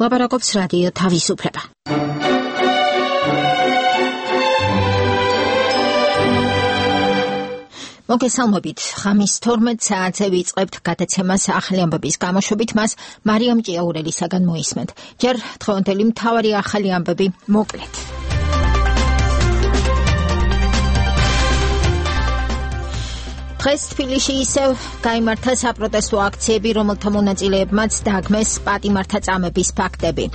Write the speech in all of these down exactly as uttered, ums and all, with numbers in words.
ლაპარაკობს რადიო თავისუფლება. მოგესალმებით, ხამის თორმეტ საათზე ვიწყებთ გადაცემას ახალი ამბების გამოშვებით, მას მარიამ ჭიაურელისაგან მოისმენთ. ჯერ დღევანდელი მთავარი ახალი ამბები მოკლედ. დღეს თბილისში ისევ გაიმართა საპროტესტო აქციები, რომელთა მონაწილეებმაც დააგმეს პატიმართაწამების ფაქტები.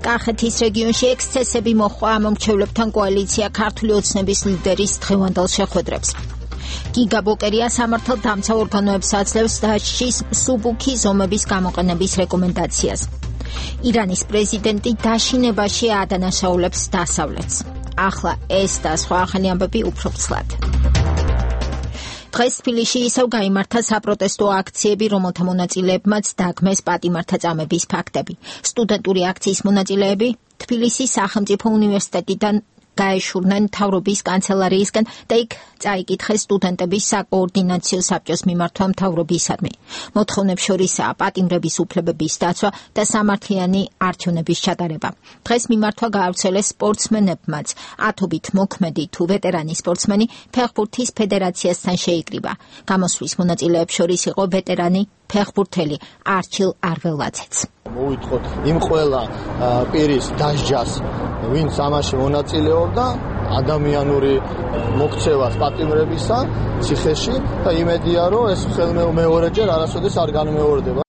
კახეთის რეგიონში ექსცესები მოჰყვა მომრჩევლებთან კოალიცია ქართული ოცნების ლიდერის დღევანდელ შეხვედრებს. გიგა ბოკერია სამართალდამცავ ორგანოებს აძლევს დასჯის მსუბუქი ზომების გამოყენების რეკომენდაციას. ირანის პრეზიდენტი დაშინებაში აადანაშაულებს დასავლეთს. ახლა ეს და სხვა ახალი ამბები უფრო ცლად. დღეს თბილისში ისევ გაიმართა საპროტესტო აქციები, რომელთა მონაწილეებმაც დააგმეს პატიმართაწამების ფაქტები. სტუდენტური აქციის მონაწილეები თბილისის სახელმწიფო უნივერსიტეტიდან გაეშურნენ მთავრობის კანცელარიისგან და იქ წაიკითხეს სტუდენტების საკოორდინაციო საბჭოს მიმართვა მთავრობისადმი. მოთხოვნებს შორისაა პატიმრების უფლებების დაცვა და სამართლიანი არჩევნების ჩატარება. დღეს მიმართვა გაავრცელეს სპორტსმენებმაც. ათობით მოქმედი თუ ვეტერანი სპორტსმენი ფეხბურთის ფედერაციასთან შეიკრიბა. გამოსვლის მონაწილეებს შორის იყო ვეტერანი ფეხბურთელი არჩილ არველაძეც. მოვიტყოთ იმ ყველა პირის დასჯას, ვინც ამაში მონაწილეობდა, ადამიანური მოქცევას პატიმრებისა ციხეში და იმედია, რომ ეს მეორეჯერ არასოდეს არ განმეორდება.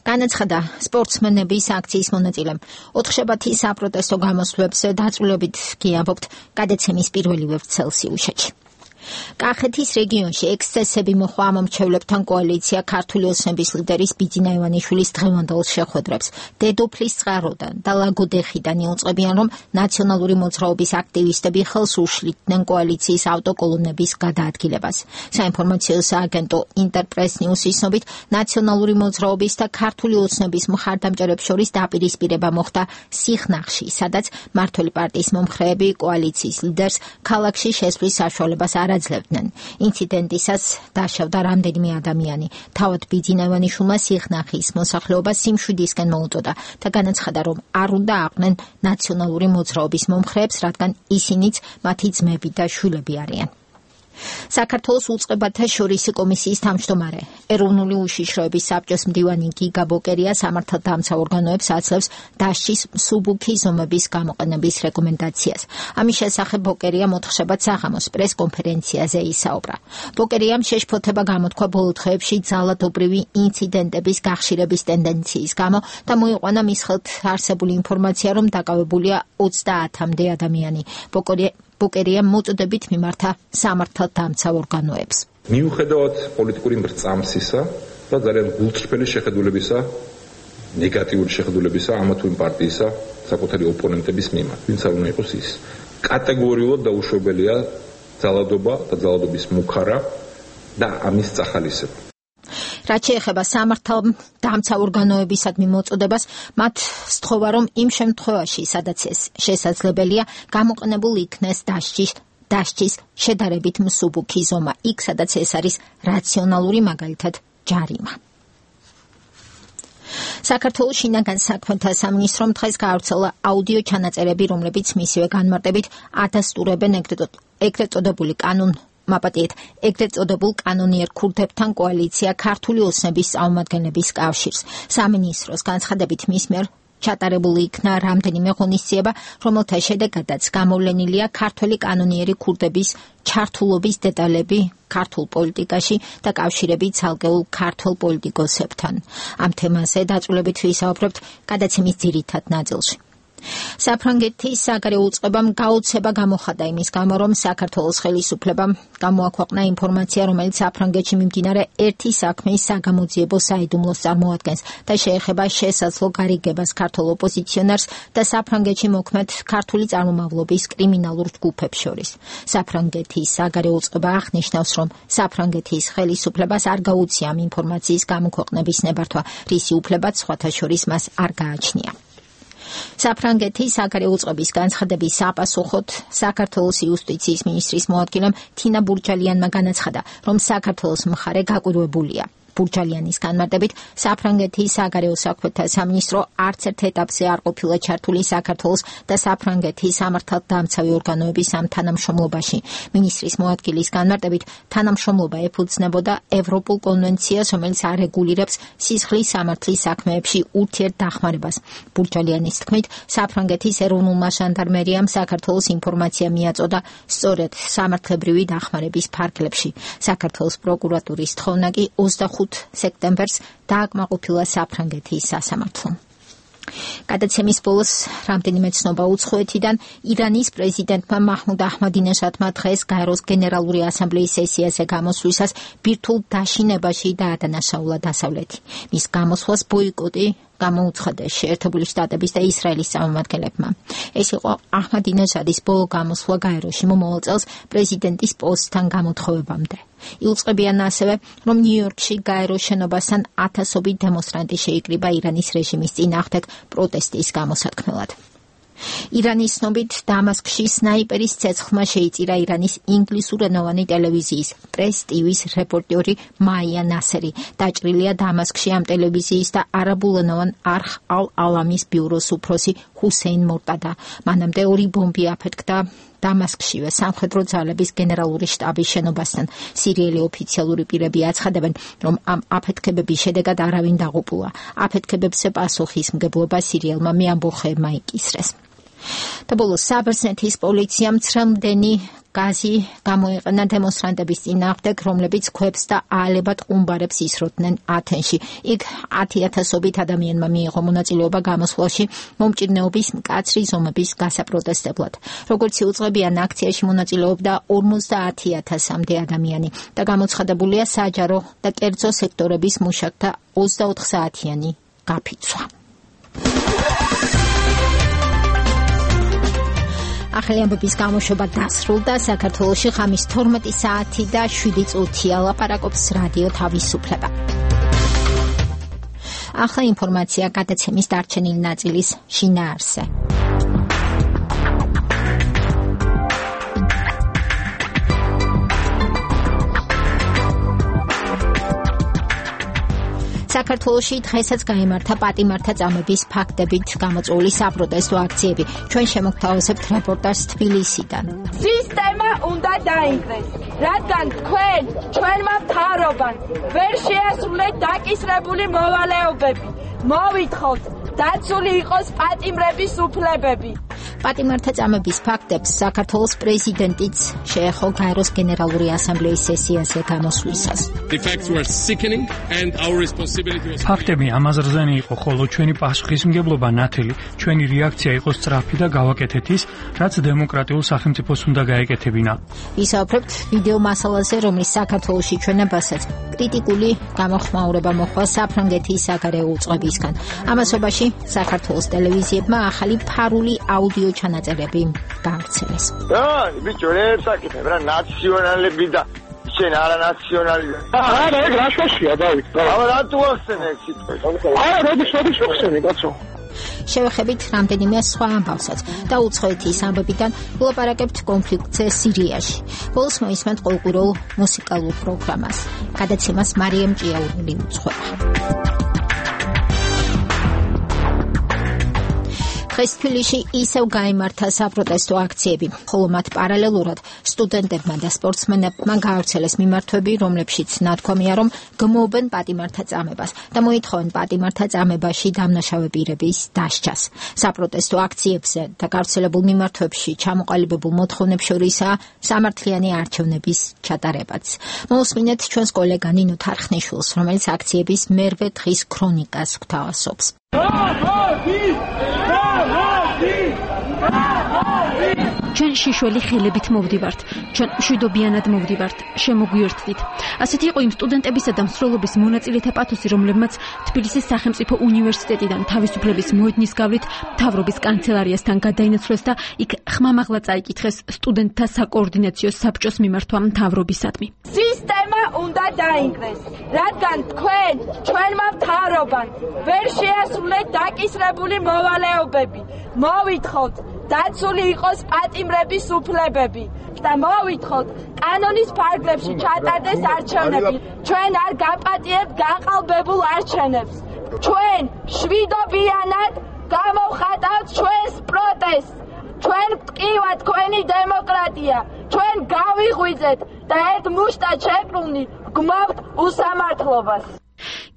განაცხადა სპორტსმენების აქციის მონაწილემ. ოთხშაბათის საპროტესტო გამოსვლებს დაწვრილებით გიამბობთ გადაცემის პირველი ვევრცელსიუშეთში. კახეთის რეგიონში ექსცესები მოჰყვა მომრჩევლებთან კოალიცია ქართული ოცნების ლიდერის ბიძინა ივანიშვილის დღევანდელ შეხვედრებს. დედოფლის წყაროდან და ლაგოდეხიდან იუწყებიან, რომ ნაციონალური მოძრაობის აქტივისტები ხელს უშლიდნენ კოალიციის ავტოკოლონების გადაადგილებას. საინფორმაციო სააგენტო ინტერპრეს ნიუსის ცნობით, ნაციონალური მოძრაობის და ქართული ოცნების მხარდამჭერებს შორის დაპირისპირება მოხდა სიხნაღში, სადაც მმართველი პარტიის მომხრეები კოალიციის ლიდერს ქალაქში შესვლის საშუალებას არ აძლევდნენ. ინციდენტისას დაშავდა რამდენიმე ადამიანი. თავად ბიძინა ივანიშვილმა სიხნაღის მოსახლეობა სიმშვიდისკენ მოუწოდა და განაცხადა, რომ არ უნდა აყვნენ ნაციონალური მოძრაობის მომხრეებს, რადგან ისინიც მათი ძმები და შვილები არიან. საქართველოს უწყებათა შორისი კომისიის თავმჯდომარე, ეროვნული უშიშროების საბჭოს მდივანი გიგა ბოკერია სამართალდამცავ ორგანოებს აძლევს დასჯის მსუბუქი ზომების გამოყენების რეკომენდაციას. ამის შესახებ ბოკერია მოთხშაბათ საღამოს პრესკონფერენციაზე ისაუბრა. ბოკერიამ შეშფოთება გამოთქვა ბოლო დღეებში ძალადობრივი ინციდენტების გახშირების ტენდენციის გამო და მოიყვანა მის ხელთ არსებული ინფორმაცია, რომ დაკავებულია ოცდაათამდე ადამიანი. ბოკერია ბოკერია მოწოდებით მიმართა სამართალდამცავ ორგანოებს. მიუხედავად პოლიტიკური მრწამსისა და ძალიან გულწრფელი შეხედულებისა, ნეგატიური შეხედულებისა ამა თუ იმ პარტიისა საკუთარი ოპონენტების მიმართ, ვინც არ უნდა იყოს ის. კატეგორიულად დაუშვებელია ძალადობა და ძალადობის მუქარა და ამის წახალისება. რაც შეეხება სამართალდამცავ ორგანოებისადმი მოწოდებას, მათ სთხოვა, რომ იმ შემთხვევაში, სადაც ეს შესაძლებელია, გამოყენებულ იქნეს დასჯის დასჯის შედარებით მსუბუქი ზომა, იქ სადაც ეს არის რაციონალური, მაგალითად ჯარიმა. საქართველოს შინაგან საქმეთა სამინისტრომ დღეს გაავრცელა აუდიო ჩანაწერები, რომლებიც მისივე განმარტებით ადასტურებენ ეგრეთ წოდებული კანონ მაპატიეთ ეგრეთ წოდებულ კანონიერ ქურთებთან კოალიცია ქართული ოცნების წარმომადგენლების კავშირს. სამინისტროს განცხადებით მის მიერ ჩატარებული იქნა რამდენიმე ღონისძიება, რომელთა შედეგადაც გამოვლენილია ქართველი კანონიერი ქურთების ჩართულობის დეტალები ქართულ პოლიტიკაში და კავშირები ცალკეულ ქართველ პოლიტიკოსებთან. ამ თემაზე დაწვრილებით ვისაუბრებთ გადაცემის ძირითად ნაწილში. საფრანგეთის საგარეო უწყებამ გაოცება გამოხატა იმის გამო, რომ საქართველოს ხელისუფლებამ გამოაქვეყნა ინფორმაცია, რომელიც საფრანგეთში მიმდინარე ერთი საქმის საგამოძიებო საიდუმლოს წარმოადგენს და შეეხება შესაძლო გარიგებას ქართულ ოპოზიციონერს და საფრანგეთში მოქმედ ქართული წარმომავლობის კრიმინალურ ჯგუფებს შორის. საფრანგეთის საგარეო უწყება აღნიშნავს, რომ საფრანგეთის ხელისუფლებას არ გაუწია ამ ინფორმაციის გამოქვეყნების ნებართვა, რისი უფლებაც სხვათა შორის მას არ გააჩნია. საფრანგეთის საგარეო უწყების განცხადების საპასუხოდ საქართველოს იუსტიციის მინისტრის მოადგილემ თინა ბურჯალიანმა განაცხადა, რომ საქართველოს მხარე გაკვირვებულია. ბურჯალიანის განმარტებით, საფრანგეთის საგარეო საქმეთა სამინისტრო არც ერთ ეტაპზე არ ყოფილა ჩართული საქართველოს და საფრანგეთის სამართალდამცავი ორგანოების ამ თანამშრომლობაში. მინისტრის მოადგილის განმარტებით, თანამშრომლობა ეფუძნებოდა ევროპულ კონვენციას, რომელიც არეგულირებს სისხლის სამართლის საქმეებში ურთიერთდახმარებას. ბურჯალიანის თქმით, საფრანგეთის ეროვნულმა ჟანდარმერიამ საქართველოს ინფორმაცია მიაწოდა სწორედ სამართლებრივი დახმარების ფარგლებში. საქართველოს პროკურატურის თხოვნა კი ოცდახუთ სექტემბერს დააკმაყოფილა საფრანგეთის სასამართლომ. გადაცემის ბოლოს რამდენიმე ცნობა უცხოეთიდან. ირანის პრეზიდენტმა მაჰმუდ აჰმადინეჟადმა დღეს გაეროს გენერალური ასამბლეის სესიაზე გამოსვლისას ბირთვულ დაშინებაში დაადანაშაულა დასავლეთი. მის გამოსვლას ბოიკოტი გამოუცხადა შეერთებული შტატების და ისრაელის წარმომადგენლებმა. ეს იყო აჰმადინეჟადის ბოლო გამოსვლა გაეროში მომავალ წელს პრეზიდენტის პოსტთან გამოთხოვებამდე. იუწყებიან ასევე, რომ ნიუ-იორკში გაეროს შენობასთან ათასობით დემონსტრანტი შეიკრიბა ირანის რეჟიმის წინააღმდეგ პროტესტის გამოსათქმელად. ირანის ცნობით, დამასკში სნაიპერის ცეცხლმა შეიწირა ირანის ინგლისურენოვანი ტელევიზიის პრეს ტივის რეპორტიორი მაია ნასერი. დაჭრილია დამასკში ამ ტელევიზიის და არაბულენოვან არხ ალ-ალამის ბიუროს უფროსი ჰუსეინ მორტადა. მანამდე ორი ბომბი აფეთქდა დამასკშივე სამხედრო ძალების გენერალური შტაბის შენობასთან. სირიელი ოფიციალური პირები აცხადებენ, რომ ამ აფეთქებების შედეგად არავინ დაღუპულა. აფეთქებებზე პასუხისმგებლობა სირიელმა მეამბოხეებმა იკისრეს. და ბოლოს საბერძნეთის პოლიციამ ცრემლდენი გაზი გამოიყენა დემონსტრანტების წინააღმდეგ, რომლებიც ქვებს და აალებად ყუმბარებს ისროდნენ ათენში. იქ ათი ათასობით ადამიანმა მიიღო მონაწილეობა გამოსვლაში მომჭირნეობის მკაცრი ზომების გასაპროტესტებლად. როგორც იუწყებიან, აქციაში მონაწილეობდა ორმოცდაათი ათასამდე ადამიანი და გამოცხადებულია საჯარო და კერძო სექტორების მუშაკთა ოცდაოთხ საათიანი გაფიცვა. ახალი ამბების გამოშვება დასრულდა. საქართველოში ხამის თორმეტი საათი და შვიდი წუთია. ლაპარაკობს რადიო თავისუფლება. ახლა ინფორმაცია გადაცემის დარჩენილი ნაწილის შინაარსზე. საქართველოში დღესაც გაიმართა პატიმართა წამების ფაქტებით გამოწვეული საპროტესტო აქციები. ჩვენ შემოგთავაზებთ რეპორტაჟს თბილისიდან. სისტემა უნდა დაინგრეს, რადგან თქვენ ჩვენმა მთავრობამ ვერ შეასრულეთ დაკისრებული მოვალეობები. მოვითხოვთ, დაცული იყოს პატიმრების უფლებები. პატიმართა წამების ფაქტებს საქართველოს პრეზიდენტიც შეეხო გაეროს გენერალური ასამბლეის სესიაზე გამოსვლისას. ფაქტები ამაზრზენი იყო, ხოლო ჩვენი პასუხისმგებლობა ნათელი, ჩვენი რეაქცია იყო სწრაფი და გავაკეთეთ ის, რაც დემოკრატიულ სახელმწიფოს უნდა გაეკეთებინა. ვისაუბრებთ ვიდეო მასალაზე, რომლის საქართველოში ჩვენებასაც კრიტიკული გამოხმაურება მოხდა საფრანგეთის საგარეო უწყებისგან. ამასობაში საქართველოს ტელევიზიებმა ახალი ფარული აუდიო ჩანაწერები გაავრცელეს. რა, ბიჭო, რებსაკეთებ რა, ნაციონალები და შენ არა ნაციონალი. არა, ეგ რა შეშია, დავით. აბა რატო ახსენე ეს სიტყვა? არა, როდის როდის ახსენე, კაცო? შევეხებით რამდენიმე სხვა ამბავსაც და უცხოეთის ამბებიდან ვლაპარაკებთ კონფლიქტზე სირიაში. ბოლოს მოისმენთ ყოველკვირეულ მუსიკალურ პროგრამას. გადაცემას მარიამ ჭიაურელი უძღვება. დღეს თბილისში ისევ გაიმართა საპროტესტო აქციები, ხოლო მათ პარალელურად სტუდენტებმა და სპორტსმენებმა გაავრცელეს მიმართვები, რომლებშიც ნათქვამია, რომ გმობენ პატიმართა წამებას და მოითხოვენ პატიმართა წამებაში დამნაშავე პირების დასჯას. საპროტესტო აქციებზე და გავრცელებულ მიმართვებში ჩამოყალიბებულ მოთხოვნებს შორისაა სამართლიანი არჩევნების ჩატარებაც. მოусმინეთ ჩვენს კოლეგა ნინო თარხნიშვილს, რომელიც აქციების მერვე დღის ქრონიკას გვთავაზობს. ჩვენ შიშველი ხელებით მოვდივართ, ჩვენ მშვიდობიანად მოვდივართ, შემოგვიერთდით. ასეთი იყო იმ სტუდენტებისა და მსროლობის მონაწილეთა პათოსი, რომლებმაც თბილისის სახელმწიფო უნივერსიტეტიდან თავისუფლების მოედნის გავლით მთავრობის კანცელარიასთან გადაინაცვლეს და იქ ხმამაღლა წაიკითხეს სტუდენტთა საკოორდინაციო საბჭოს მიმართვა მთავრობისადმი. სისტემა უნდა დაინგრეს, რადგან თქვენ ჩვენმა მთავრობამ ვერ შეასრულეთ დაკისრებული მოვალეობები. მოვითხოვთ, დაცული იყოს პატიმრების უფლებები და მოვითხოვთ კანონის ფარგლებში ჩატარდეს არჩევნები. ჩვენ არ გაპატიებთ გაყალბებულ არჩევნებს. ჩვენ შვიდობიანად გამოვხატავთ ჩვენს პროტესტს. ჩვენ ვტკივათ თქვენი დემოკრატია. ჩვენ გავიღვიძეთ და ერთ მუშტად შეკრუნით გმავთ უსამართლობას.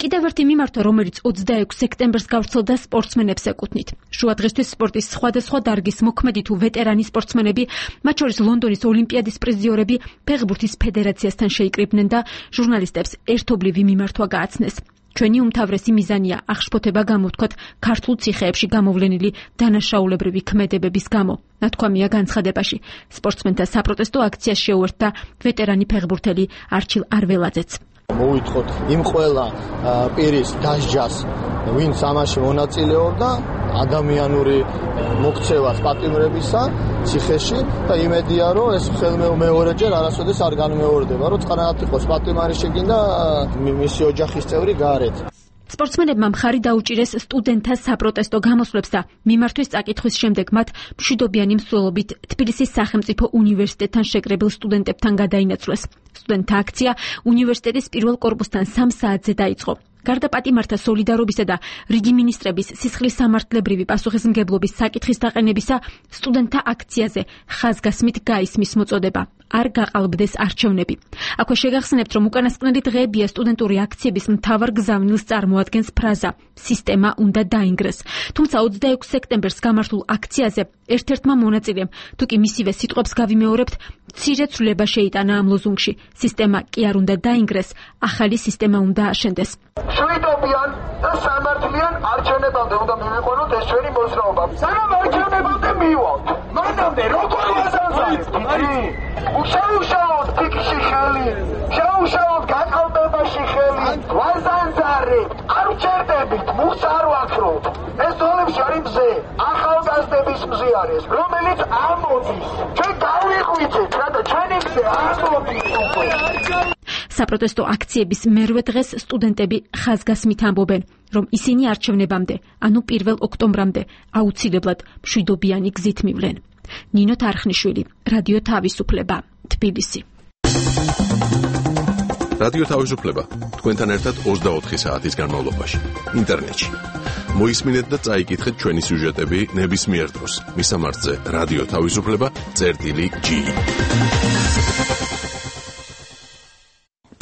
კიდევ ერთი მიმართვა, რომელიც ოცდაექვსი სექტემბერს გავრცელდა სპორტსმენებს ეკუთვნით. შუადღესთვის სპორტის სხვადასხვა დარგის მოქმედი თუ ვეტერანი სპორტსმენები, მათ შორის ლონდონის ოლიმპიადის პრიზიორები, ფეხბურთის ფედერაციასთან შეიკრიბნენ და ჟურნალისტებს ერთობლივი მიმართვა გააცნეს. ჩვენი უმთავრესი მიზანია აღშფოთება გამოვთქვათ ქართულ ციხეებში გამოვლენილი დანაშაულებრივი ქმედებების გამო. ნათქვამია განცხადებაში. სპორტსმენთა საპროტესტო აქციას შეუერთდა ვეტერანი ფეხბურთელი არჩილ არველაძეც. მოვითხოვთ იმ ყველა პირის დასჯას, ვინც ამაში მონაწილეობდა, ადამიანური მოქცევას პატიმრებისა ციხეში და იმედია, რომ ეს მეორეჯერ არასოდეს არ განმეორდება, რომ წყნარად იყოს პატიმარი შეგინდა მისი ოჯახის წევრი გარეთ. სპორტსმენებმა მხარი დაუჭირეს სტუდენტთა საპროტესტო გამოსვლებს და მიმართვის წაკითხვის შემდეგ მათ მშვიდობიანი მსვლელობით თბილისის სახელმწიფო უნივერსიტეტთან შეკრებილ სტუდენტებთან გადაინაცვლეს. სტუდენტთა აქცია უნივერსიტეტის პირველ კორპუსთან სამ საათზე დაიწყო. გარდა პატიმართა სოლიდარობისა და რიგი მინისტრების სისხლის სამართლებრივი პასუხისმგებლობის საკითხის დაყენებისა, სტუდენტთა აქციაზე ხაზგასმით გაისმის მოწოდება. არ გაყალბდეს არჩევნები. აქვე შეგახსენებთ, რომ უკანასკნელი დღეებია სტუდენტური აქციების მთავარ გზავნილს წარმოადგენს ფრაზა „სისტემა უნდა დაინგრეს“. თუმცა ოცდაექვსი სექტემბერს გამართულ აქციაზე ერთ-ერთმა მონაწილემ, თუ კი მისივე სიტყვებს გავიმეორებთ, მცირე ცვლილება შეიტანა ამ ლოზუნგში. სისტემა კი არ უნდა დაინგრეს, ახალი სისტემა უნდა აშენდეს. შვიდობიან და სამართლიან არჩევნებამდე უნდა მივიყვანოთ ეს ჩვენი მოძრაობა. სანამ არჩევნებამდე მივივალთ. მანამდე როგორ ვაზანზარებთ? უშაუშაოთ ფიქში ხელი, შაუშაოთ გაყალბებაში ხელი, ვაზანზარებთ, არ ვჭერდებით, მუხს არ ვაქროთ. ეს ძოლებში არის მზე, ახალგაზრდების მზე არის, რომელიც ამოდის. ჩვენ გავიღვიძეთ, რათა ჩვენი მზე ამოდის უკვე. საპროტესტო აქციების მერვე დღეს სტუდენტები ხაზგასმით ამბობენ, რომ ისინი არჩევნებამდე, ანუ პირველ ოქტომბრამდე აუცილებლად მშვიდობიანი გზით მივლენ. ნინო თარხნიშვილი, რადიო თავისუფლება, თბილისი. რადიო თავისუფლება თქვენთან ერთად ოცდაოთხი საათის განმავლობაში ინტერნეტში. მოისმინეთ და წაიკითხეთ ჩვენი სიუჟეტები ნებისმიერ დროს. მისამართზე რადიო თავისუფლება წერტილი ჯი.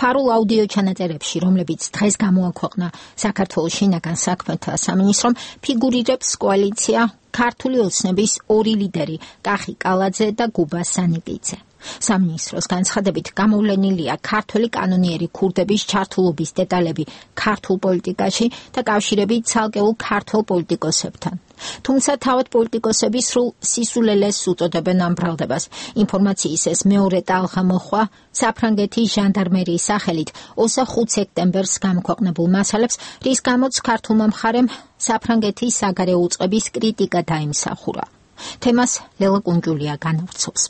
ფარულ აუდიო ჩანაწერებში, რომლებიც დღეს გამოაქვეყნა საქართველოს შინაგან საქმეთა სამინისტრომ, ფიგურირებს კოალიცია ქართული ოცნების ორი ლიდერი, კახი კალაძე და გუბა სანიკიძე. სამინისტროს განცხადებით გამოვლენილია ქართველი კანონიერი ქურდების ჩართულობის დეტალები ქართულ პოლიტიკაში და კავშირები ცალკეულ ქართულ პოლიტიკოსებთან. თუმცა თავად პოლიტიკოსები სრულ სისულელეს უწოდებენ ამ ბრალდებას. ინფორმაციის ეს მეორე ტალღა მოხვა საფრანგეთის ჟანდარმერიის სახელით ოცდახუთი სექტემბერს გამოქვეყნებულ მასალებს, რის გამოც ქართულმა მხარემ საფრანგეთის საგარეო უწყების კრიტიკა დაიმსახურა. თემას ლელა კუნჯულია განავრცობს.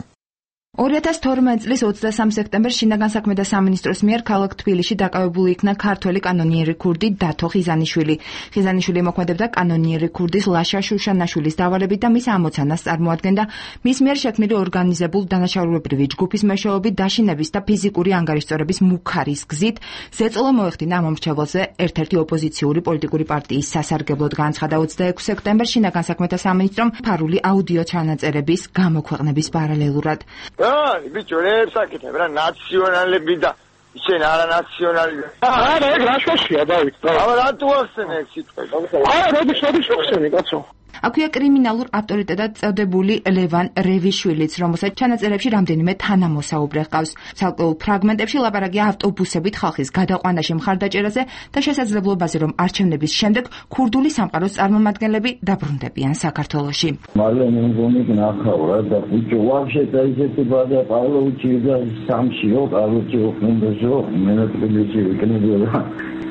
ორი ათას თორმეტი წლის ოცდასამი სექტემბერს შინაგან საქმეთა სამინისტროს მიერ ქალაქ თბილისში დაკავებული იქნა ქართველი კანონიერი ქურდი დათო ხიზანიშვილი. ხიზანიშვილი მოქმედებდა კანონიერი ქურდის ლაშა შუშანაშვილის დავალებით და მის ამოცანას წარმოადგენდა მის მიერ შექმნილი ორგანიზებულ დანაშაულებრივი ჯგუფის მეშვეობით დაშინების და ფიზიკური ანგარიშწორების მუქარის გზით ზეწოლა მოეხდინა ამ მომრჩეველზე ერთ-ერთი ოპოზიციური პოლიტიკური პარტიის სასარგებლოდ. განცხადა ოცდაექვსი სექტემბერს შინაგან საქმეთა სამინისტრომ ფარული აუდიო ჩანაწერების გამოქვეყნების პარალელურად. აი, ბიჭო, რებს აკეთებ რა, ნაციონალები და ისენ არანაციონალი. არა, ეგ რა შეშია, დავით. აბა რა თუ ახსენე ეგ სიტყვები? არა, როდის როდის ახსენე, კაცო? აქვეა კრიმინალურ ავტორიტეტად წოდებული ლევან რევიშვილიც, რომელსაც ჩანაწერებში რამდენიმე თანამოსაუბრე ჰყავს. ცალკეულ ფრაგმენტებში ლაპარაკია ავტობუსებით ხალხის გადაყვანაში მხარდაჭერაზე და შესაძლებლობაზე, რომ არჩევნების შემდეგ ქურდული სამყაროს წარმომადგენლები დაბრუნდებიან საქართველოში. მალე მეგონი ნახავ რა და ბიჭო, ვაფშე დაიძეთი ბადა პავლოვიჩი და სამშიო, პავლოვიჩი ხუნდაშო, მენატრიბიჩი ვიკნებია.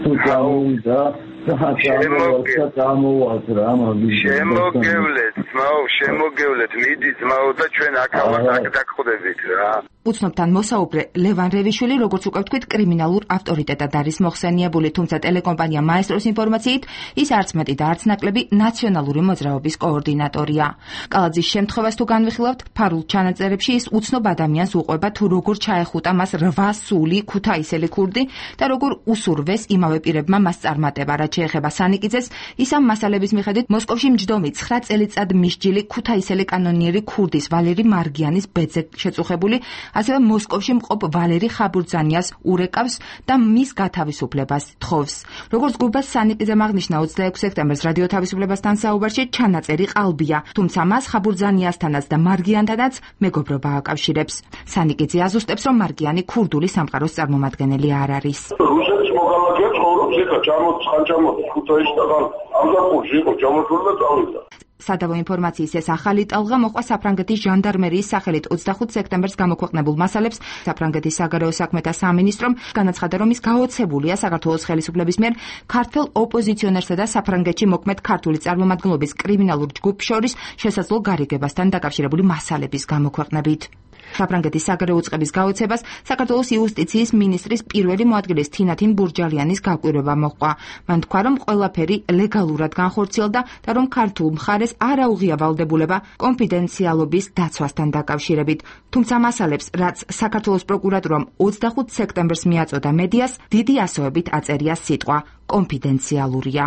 თუ წავიდა შემოგევლეთ, ძმაო, შემოგევლეთ, მიდი ძმაო და ჩვენ აქ აქ დაგხვდებით რა. უცნობთან მოსაუბრე ლევან რევიშვილი, როგორც უკვე ვთქვით, კრიმინალურ ავტორიტეტად არის მოხსენიებული, თუმცა ტელეკომპანია მაესტროს ინფორმაციით ის არც მეტი და არც ნაკლები ნაციონალური მოძრაობის კოორდინატორია. კალაძის შემთხვევას თუ განვიხილავთ, ფარულ ჩანაწერებში ის უცნობ ადამიანს უყვება თუ როგორ ჩაეხუტა მას რვა სული ქუთაისელი ქურდი და როგორ უსურვეს იმავე პირებმა მას წარმატება. რაც შეეხება სანიკიძეს, ის ამ მასალების მიხედვით მოსკოვში მჯდომი ცხრა წელიწად მისჯილი ქუთაისელი კანონიერი ქურდის ვალერი მარგიანის ბედზე შეწუხებული, ასევე მოსკოვში მყოფ ვალერი ხაბურძანიას ურეკავს და მის გათავისუფლებას თხოვს. როგორც გუბას სანიკიძემ აღნიშნა ოცდაექვსი სექტემბერს რადიო თავისუფლებასთან საუბარში, ჩანაწერი ყალბია, თუმცა მას ხაბურძანიასთანაც და მარგიანთანაც მეგობრობა აკავშირებს. სანიკიძე აზუსტებს, რომ მარგიანი ქურდული სამყაროს წარმომადგენელი არ არის. რუსეთის მოქალაქეებს ცხოვრობს ეხა ჩამოდის ხან ჩამოდის ქუთაისიდან ამ დაპყრობში იყო ჩამოსული და წავიდა. სადავო ინფორმაციის ეს ახალი ტალღა მოყვა საფრანგეთის ჟანდარმერიის სახელით ოცდახუთი სექტემბერს გამოქვეყნებულ მასალებს. საფრანგეთის საგარეო საქმეთა სამინისტრომ განაცხადა, რომ ის გაოცებულია საქართველოს ხელისუფლების მიერ ქართველ ოპოზიციონერსა და საფრანგეთში მოქმედ ქართული წარმომადგენლობის კრიმინალურ ჯგუფს შორის შესაძლო გარიგებასთან დაკავშირებული მასალების გამოქვეყნებით. საფრანგეთის საგარეო უწყების გაოცებას საქართველოს იუსტიციის მინისტრის პირველი მოადგილის თინათინ ბურჯალიანის გაკვირვება მოჰყვა. მან თქვა, რომ ყველაფერი ლეგალურად განხორციელდა და რომ ქართულ მხარეს არ აუღია ვალდებულება კონფიდენციალობის დაცვასთან დაკავშირებით. თუმცა მასალებს, რაც საქართველოს პროკურატურამ ოცდახუთი სექტემბერს მიაწოდა მედიას, დიდი ასოებით აწერია სიტყვა კონფიდენციალურია.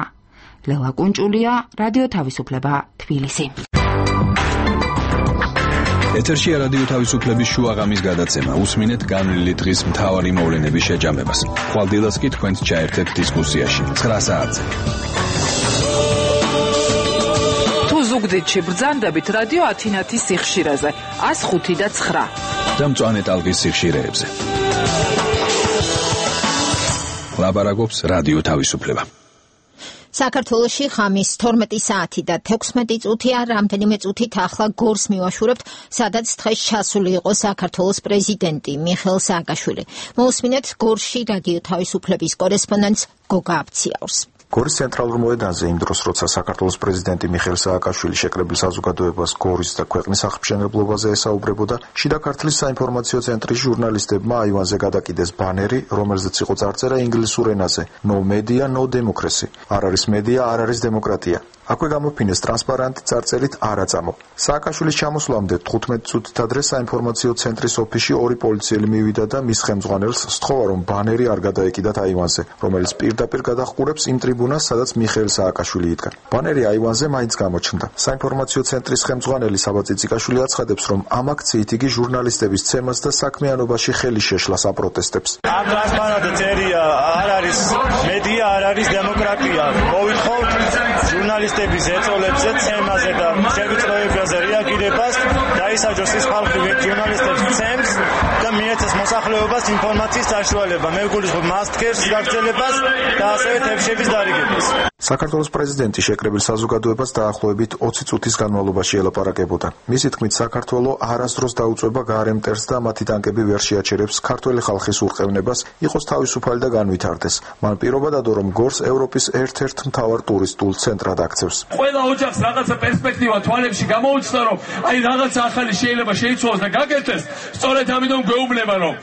ლელა კუნჭულია, რადიო თავისუფლება, თბილისი. ეთერშია რადიო თავისუფლების შუაღამის გადაცემა. უსმინეთ განვლილი დღის მთავარი მოვლენების შეჯამებას. ხვალდილას კი თქვენს ჩაერთეთ დისკუსიაში. ცხრა საათზე. თუ ზუგდიდში ბრძანდებით რადიო ათინათის სიხშირეზე ათს ხუთი და ცხრა. და მწვანე ტალღის სიხშირეებზე. ლაბარაკობს რადიო თავისუფლება. საქართველოში ხამის თორმეტი საათი და თექვსმეტი წუთია, რამდენიმე წუთით ახლა გორს მივაშურებთ, სადაც დღეს ჩასული იყო საქართველოს პრეზიდენტი მიხეილ სააკაშვილი. მოусმინეთ გორში რადიო თავისუფლების კორესპონდენტს გოგა აბციაურს. გორის ცენტრალურ მოედანზე იმ დროს, როცა საქართველოს პრეზიდენტი მიხეილ სააკაშვილი შეკრებილ საზოგადოებას გორის და ქვეყნის აღმშენებლობაზე ესაუბრებოდა, შიდა ქართლის საინფორმაციო ცენტრის ჟურნალისტებმა აივანზე გადაკიდეს ბანერი, რომელზეც იყო წარწერა ინგლისურ ენაზე: No media, no democracy. არ არის მედია, არ არის დემოკრატია. აქვე გამოფინეს ტრანსპარანტი წარწერით არაწამო. სააკაშვილის ჩამოსვლამდე თხუთმეტი წუთით ადრე საინფორმაციო ცენტრის ოფისში ორი პოლიციელი მივიდა და მის ხელმძღვანელს სთხოვა, რომ ბანერი არ გადაეკიდათ აივანზე, რომელიც პირდაპირ გადაჰყურებს იმ ტრიბუნას, სადაც მიხეილ სააკაშვილი იდგა. ბანერი აივანზე მაინც გამოჩნდა. საინფორმაციო ცენტრის ხელმძღვანელი საბა წიწიკაშვილი აცხადებს, რომ ამ აქციით იგი ჟურნალისტების ცემას და საქმიანობაში ხელი შეშლას აპროტესტებს. ამ ტრანსპარანტზე წერია არ არის მედია, არ არის დემოკრატია. მოვითხოვთ ჟურნალისტების ეწოლებზე, ცემაზე და შევიწროებაზე რეაგირებას, დაისაჯოს ის ხალხი, ვინც ჟურნალისტებს ცემს და მიეცეს მოსახლეობას ინფორმაციის საშუალება, მეგულისხმობ მასტკერს გაგრძელებას და ასევე თებშების დარიგებას. საქართველოს პრეზიდენტი შეკრებილ საზოგადოებას დაახლოებით ოცი წუთის განმავლობაში ელაპარაკებოდა. მისი თქმით, საქართველო არასდროს დაუწვება გარე მტერს და მათი ტანკები ვერ შეაჩერებს ქართველი ხალხის ურყევნებას, იყოს თავისუფალი და განვითარდეს. მან პირობა დადო, რომ გორს ევროპის ერთ-ერთ მთავარ ტურისტულ ცენტრად აქცევს. ყველა ოჯახს რაღაცა პერსპექტივა თვალებში გამოუჩნდა, რომ აი რაღაცა ახალი შეიძლება შეიცვალოს და გაკეთდეს. სწორედ ამიტომ გვეუბნება, რომ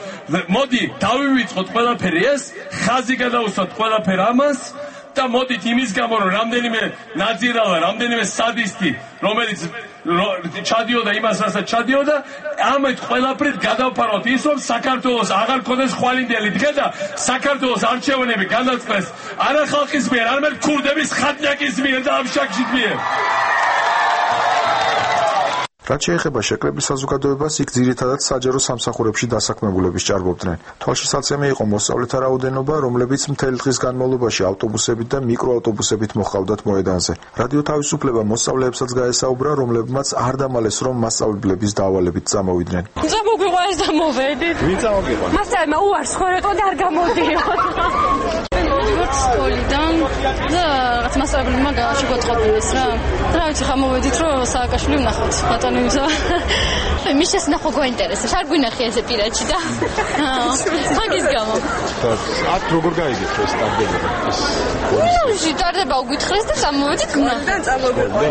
მოდი დავივიწყოთ ყველაფერი ეს, ხაზი გადავუსვათ ყველაფერ ამას და მოდით იმის გამო, რომ რამდენიმე ნაძირალა, რამდენიმე სადისტი, რომელიც ჩადიოდა იმას, რასაც ჩადიოდა, ამით ყველაფრით გადავფაროთ ის, რომ საქართველოს აღარ ქონდეს ხვალინდელი დღე და საქართველოს არჩევნები განაწყდეს არა ხალხის მიერ, არამედ ქურდების ხატნაკის მიერ და აბშაქშის მიერ. რაც შეეხება შეკრებილ საზოგადოებას, იქ ძირითადად საჯარო სამსახურებში დასაქმებულების ჭარბობდნენ. თვალშისაცემი იყო მოსწავლეთა რაოდენობა, რომლებიც მთელი დღის განმავლობაში ავტობუსებით და მიკროავტობუსებით მოჰყავდათ მოედანზე. რადიო თავისუფლება მოსწავლეებსაც გაესაუბრა, რომლებმაც არ დამალეს, რომ მასწავლებლების დავალებით წამოვიდნენ. წამოგვიყვა ეს და მოვედით. ვინ წამოგვიყვა? მასწავლებელმა უარს ხორეტო და არ გამოდიოდ. სკოლიდან და რაღაც მასწავლებელმა შეგვაწყობილეს რა. რა ვიცი, ხა მოვედით, რომ სააკაშვილი ვნახოთ. ბატონო მის შესნახვა გვაინტერესებს, არ გვინახე ესე პირადში და მაგის გამო. აქ როგორ გაიგეთ ეს სტარდება? ნუ, შეტარდება უგითხეს და წამოვედით გნა. და წამოგვიყვა.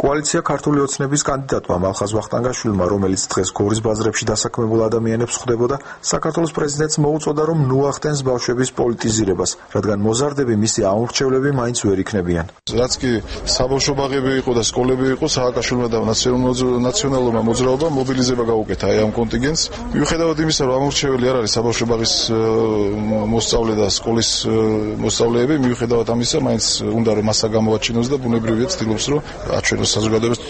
კოალიცია ქართული ოცნების კანდიდატმა მალხაზ ვახტანგაშვილმა, რომელიც დღეს გორის ბაზრებში დასაქმებულ ადამიანებს ხვდებოდა, საქართველოს პრეზიდენტს მოუწოდა, რომ ნუახტენს ბავშვების პოლიტიზირებას, რადგან მოზარდები მისი ამორჩევლები მაინც ვერ იქნებიან. რაც კი საბავშვო ბაღები იყო და სკოლები იყო, სააკაშვილმა და ნაციონალურმა მოძრაობამ მობილიზება გაუკეთა აი ამ კონტინგენტს. მიუხედავად იმისა, რომ ამორჩეველი არ არის საბავშვო ბაღის მოსწავლე და სკოლის მოსწავლეები, მიუხედავად ამისა, მაინც უნდა რომ მასა გამოაჩინოს და ბუნებრივია ცდილობს, რომ აჩვენოს საზოგადოებას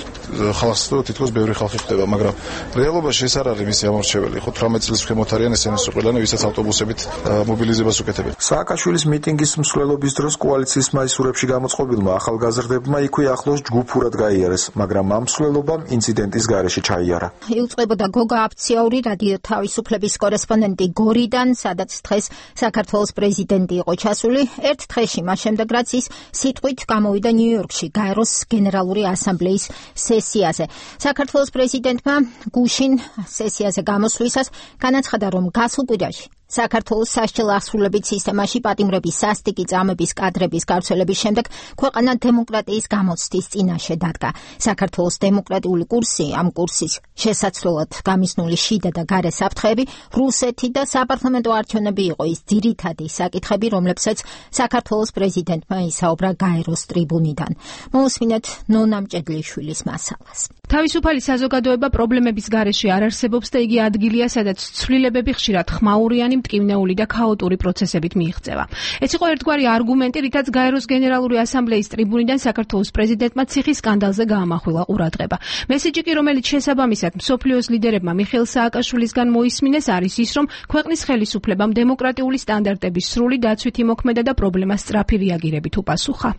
ხალხს, რომ თითქოს ბევრი ხალხი ხდება, მაგრამ რეალობაში ეს არ არის მისი ამორჩეველი. ხო თვრამეტ წელს ქვემოთ არიან ესენს ყველანი, ვისაც ავტობუსებით მობილიზებას უკეთებენ. სააკაშვილის მიტინგის მსვლელობის დროს კოალიციის მაისურებში გამოწყობილმა ახალგაზრდებმა იქვე ახლოს ჯგუფურად გაიარეს, მაგრამ ამ მსვლელობამ ინციდენტის გარეშე ჩაიარა. იუწყებოდა გოგა აფციაური რადიო თავისუფლების კორესპონდენტი გორიდან, სადაც დღეს საქართველოს პრეზიდენტი იყო ჩასული, ერთ დღეში მას შემდეგ რაც ის სიტყვით გამოვიდა ნიუ-იორკში გაეროს გენერალური ასამბლეის სესიაზე. საქართველოს პრეზიდენტმა გუშინ სესიაზე გამოსვლისას განაცხადა, რომ გასულ კვირაში საქართველოს სასჯელ ასრულებით სისტემაში პატიმრების სასტიკი წამების კადრების გავრცელების შემდეგ ქვეყანა დემოკრატიის გამოცდის წინაშე დადგა. საქართველოს დემოკრატიული კურსი, ამ კურსის შესაძლებლად გამიზნული შიდა და გარე საფრთხეები, რუსეთი და საპარლამენტო არჩევნები იყო ის ძირითადი საკითხები, რომლებსაც საქართველოს პრეზიდენტმა ისაუბრა გაეროს ტრიბუნიდან. მოусმინეთ ნონა მჭედლიშვილის მასალას. თავისუფალი საზოგადოება პრობლემების გარეშე არ არსებობს და იგი ადგილია, სადაც ცვლილებები ხშირად ხმაურიანი, მტკივნეული და ქაოტური პროცესებით მიიღწევა. ეს იყო ერთგვარი არგუმენტი, რითაც გაეროს გენერალური ასამბლეის ტრიბუნიდან საქართველოს პრეზიდენტმა ციხის სკანდალზე გაამახვილა ყურადღება. მესიჯი კი, რომელიც შესაბამისად მსოფლიოს ლიდერებმა მიხეილ სააკაშვილისგან მოისმინეს, არის ის, რომ ქვეყნის ხელისუფლებამ დემოკრატიული სტანდარტების სრული დაცვითი მოქმედა და პრობლემას სწრაფი რეაგირებით უპასუხა.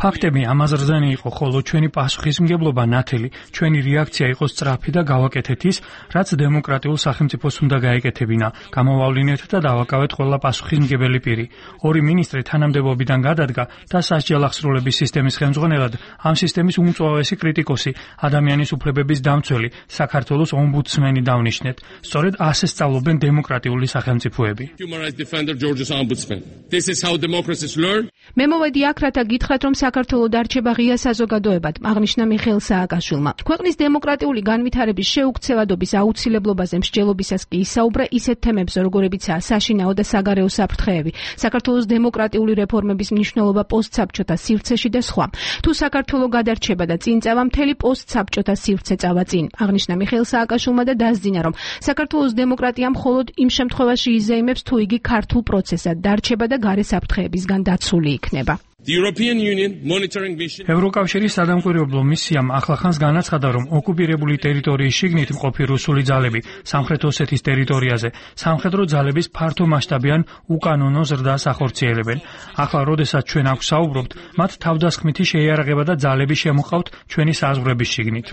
ფაქტები ამაზრზენი იყო, ხოლო ჩვენი პასუხისმგებლობა ნათელი, ჩვენი რეაქცია იყო სწრაფი და გავაკეთეთ ის, რაც დემოკრატიულ სახელმწიფოს უნდა გაეკეთებინა. გამოვავლინეთ და დავაკავეთ ყველა პასუხისმგებელი პირი. ორი მინისტრი თანამდებობიდან გადადგა და სასჯელახსრულების სისტემის ხელმძღვანელად ამ სისტემის უმწვავესი კრიტიკოსი, ადამიანის უფლებების დამცველი, საქართველოს ომბუდსმენი დავნიშნეთ. სწორედ ასე სწავლობენ დემოკრატიული სახელმწიფოები. მე მოვედი აქ, რათა გითხრათ, რომ საქართველო დარჩება ღია საზოგადოებად, აღნიშნა მიხეილ სააკაშვილმა. ქვეყნის დემოკრატიული განვითარების შეუქცევადობის აუცილებლობაზე მსჯელობისას კი ისაუბრა ისეთ თემებზე, როგორებიცაა საშინაო და საგარეო საფრთხეები, საქართველოს დემოკრატიული რეფორმების მნიშვნელობა პოსტსაბჭოთა სივრცეში და სხვა. თუ საქართველო გადარჩება და წინ წავა, მთელი პოსტსაბჭოთა სივრცე წავა წინ, აღნიშნა მიხეილ სააკაშვილმა და დასძინა, რომ საქართველოს დემოკრატია მხოლოდ იმ შემთხვევაში იზეიმებს, თუ იგი ქართულ პროცესად დარჩება და გარე საფრთხეებისგან დაცული იქნება. ევროკავშირის სადამკვირვებლო მისიამ ახლახანს განაცხადა, რომ ოკუპირებული ტერიტორიის შიგნით მყოფი რუსული ძალები სამხრეთ ოსეთის ტერიტორიაზე სამხედრო ძალების ფართო მასშტაბიან უკანონო ზრდას ახორციელებენ. ახლა, როდესაც ჩვენ აქ საუბრობთ, მათ თავდასხმითი შეიარაღება და ძალები შემოყავთ ჩვენი საზღვრების შიგნით.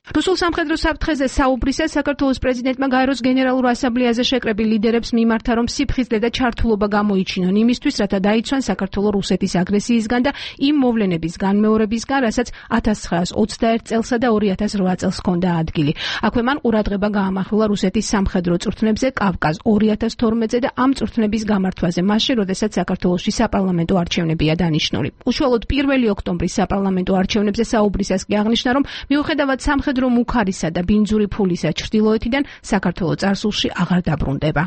რუსულ სამხედრო საფრთხეზე საუბრისას საქართველოს პრეზიდენტმა გაეროს გენერალურ ასამბლეაზე შეკრებილ ლიდერებს მიმართა, რომ სიფხიზლე და ჩართულობა გამოიჩინონ იმისთვის, რათა დაიცვან საქართველო რუსეთის აგრესიისგან და იმ მოვლენების განმეორებისგან, რასაც ათას ცხრაას ოცდაერთ წელსა და ორი ათას რვა წელს ჰქონდა ადგილი. აქვე მან ყურადღება გაამახვილა რუსეთის სამხედრო წვრთნებზე კავკაზ ორი ათას თორმეტზე და ამ წვრთნების გამართვაზე მასში, როდესაც საქართველოში საპარლამენტო არჩევნებია დანიშნული. უშუალოდ პირველი ოქტომბრის საპარლამენტო არჩევნებზე საუბრისას კი აღნიშნა, რომ მიუხედავად სამხედრო მუქარისა და ბინძური ფულისა ჩრდილოეთიდან საქართველო წარსულში აღარ დაბრუნდება.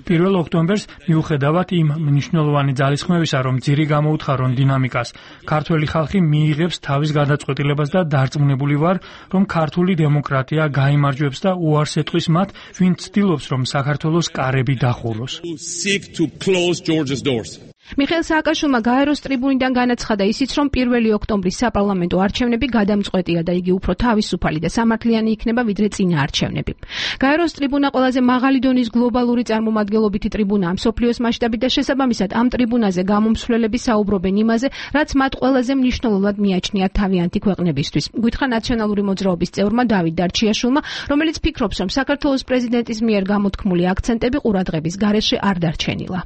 პირველ ოქტომბერს მიუხედავად იმ მნიშვნელოვანი ძალისხმევისა, რომ ძირი გამოუთხარონ დინამიკას, ქართველი ხალხი მიიღებს თავის გადაწყვეტილებას და დარწმუნებული ვარ, რომ ქართული დემოკრატია გაიმარჯვებს და უარს ეტყვის მათ, ვინც ცდილობს, რომ საქართველოს კარები დახუროს. მიხეილ სააკაშვილმა გაეროს ტრიბუნიდან განაცხადა ისიც, რომ პირველი ოქტომბრის საპარლამენტო არჩევნები გადამწყვეტია და იგი უფრო თავისუფალი და სამართლიანი იქნება, ვიდრე წინა არჩევნები. გაეროს ტრიბუნა ყველაზე მაღალი დონის გლობალური წარმომადგენლობითი ტრიბუნაა მსოფლიოს მასშტაბით და შესაბამისად ამ ტრიბუნაზე გამომსვლელები საუბრობენ იმაზე, რაც მათ ყველაზე მნიშვნელოვნად მიაჩნიათ თავიანთი ქვეყნებისთვის. გითხრა ნაციონალური მოძრაობის წევრმა დავით დარჩიაშვილმა, რომელიც ფიქრობს, რომ საქართველოს პრეზიდენტის მიერ გამოთქმული აქცენტები ყურადღების გარეშე არ დარჩენილა.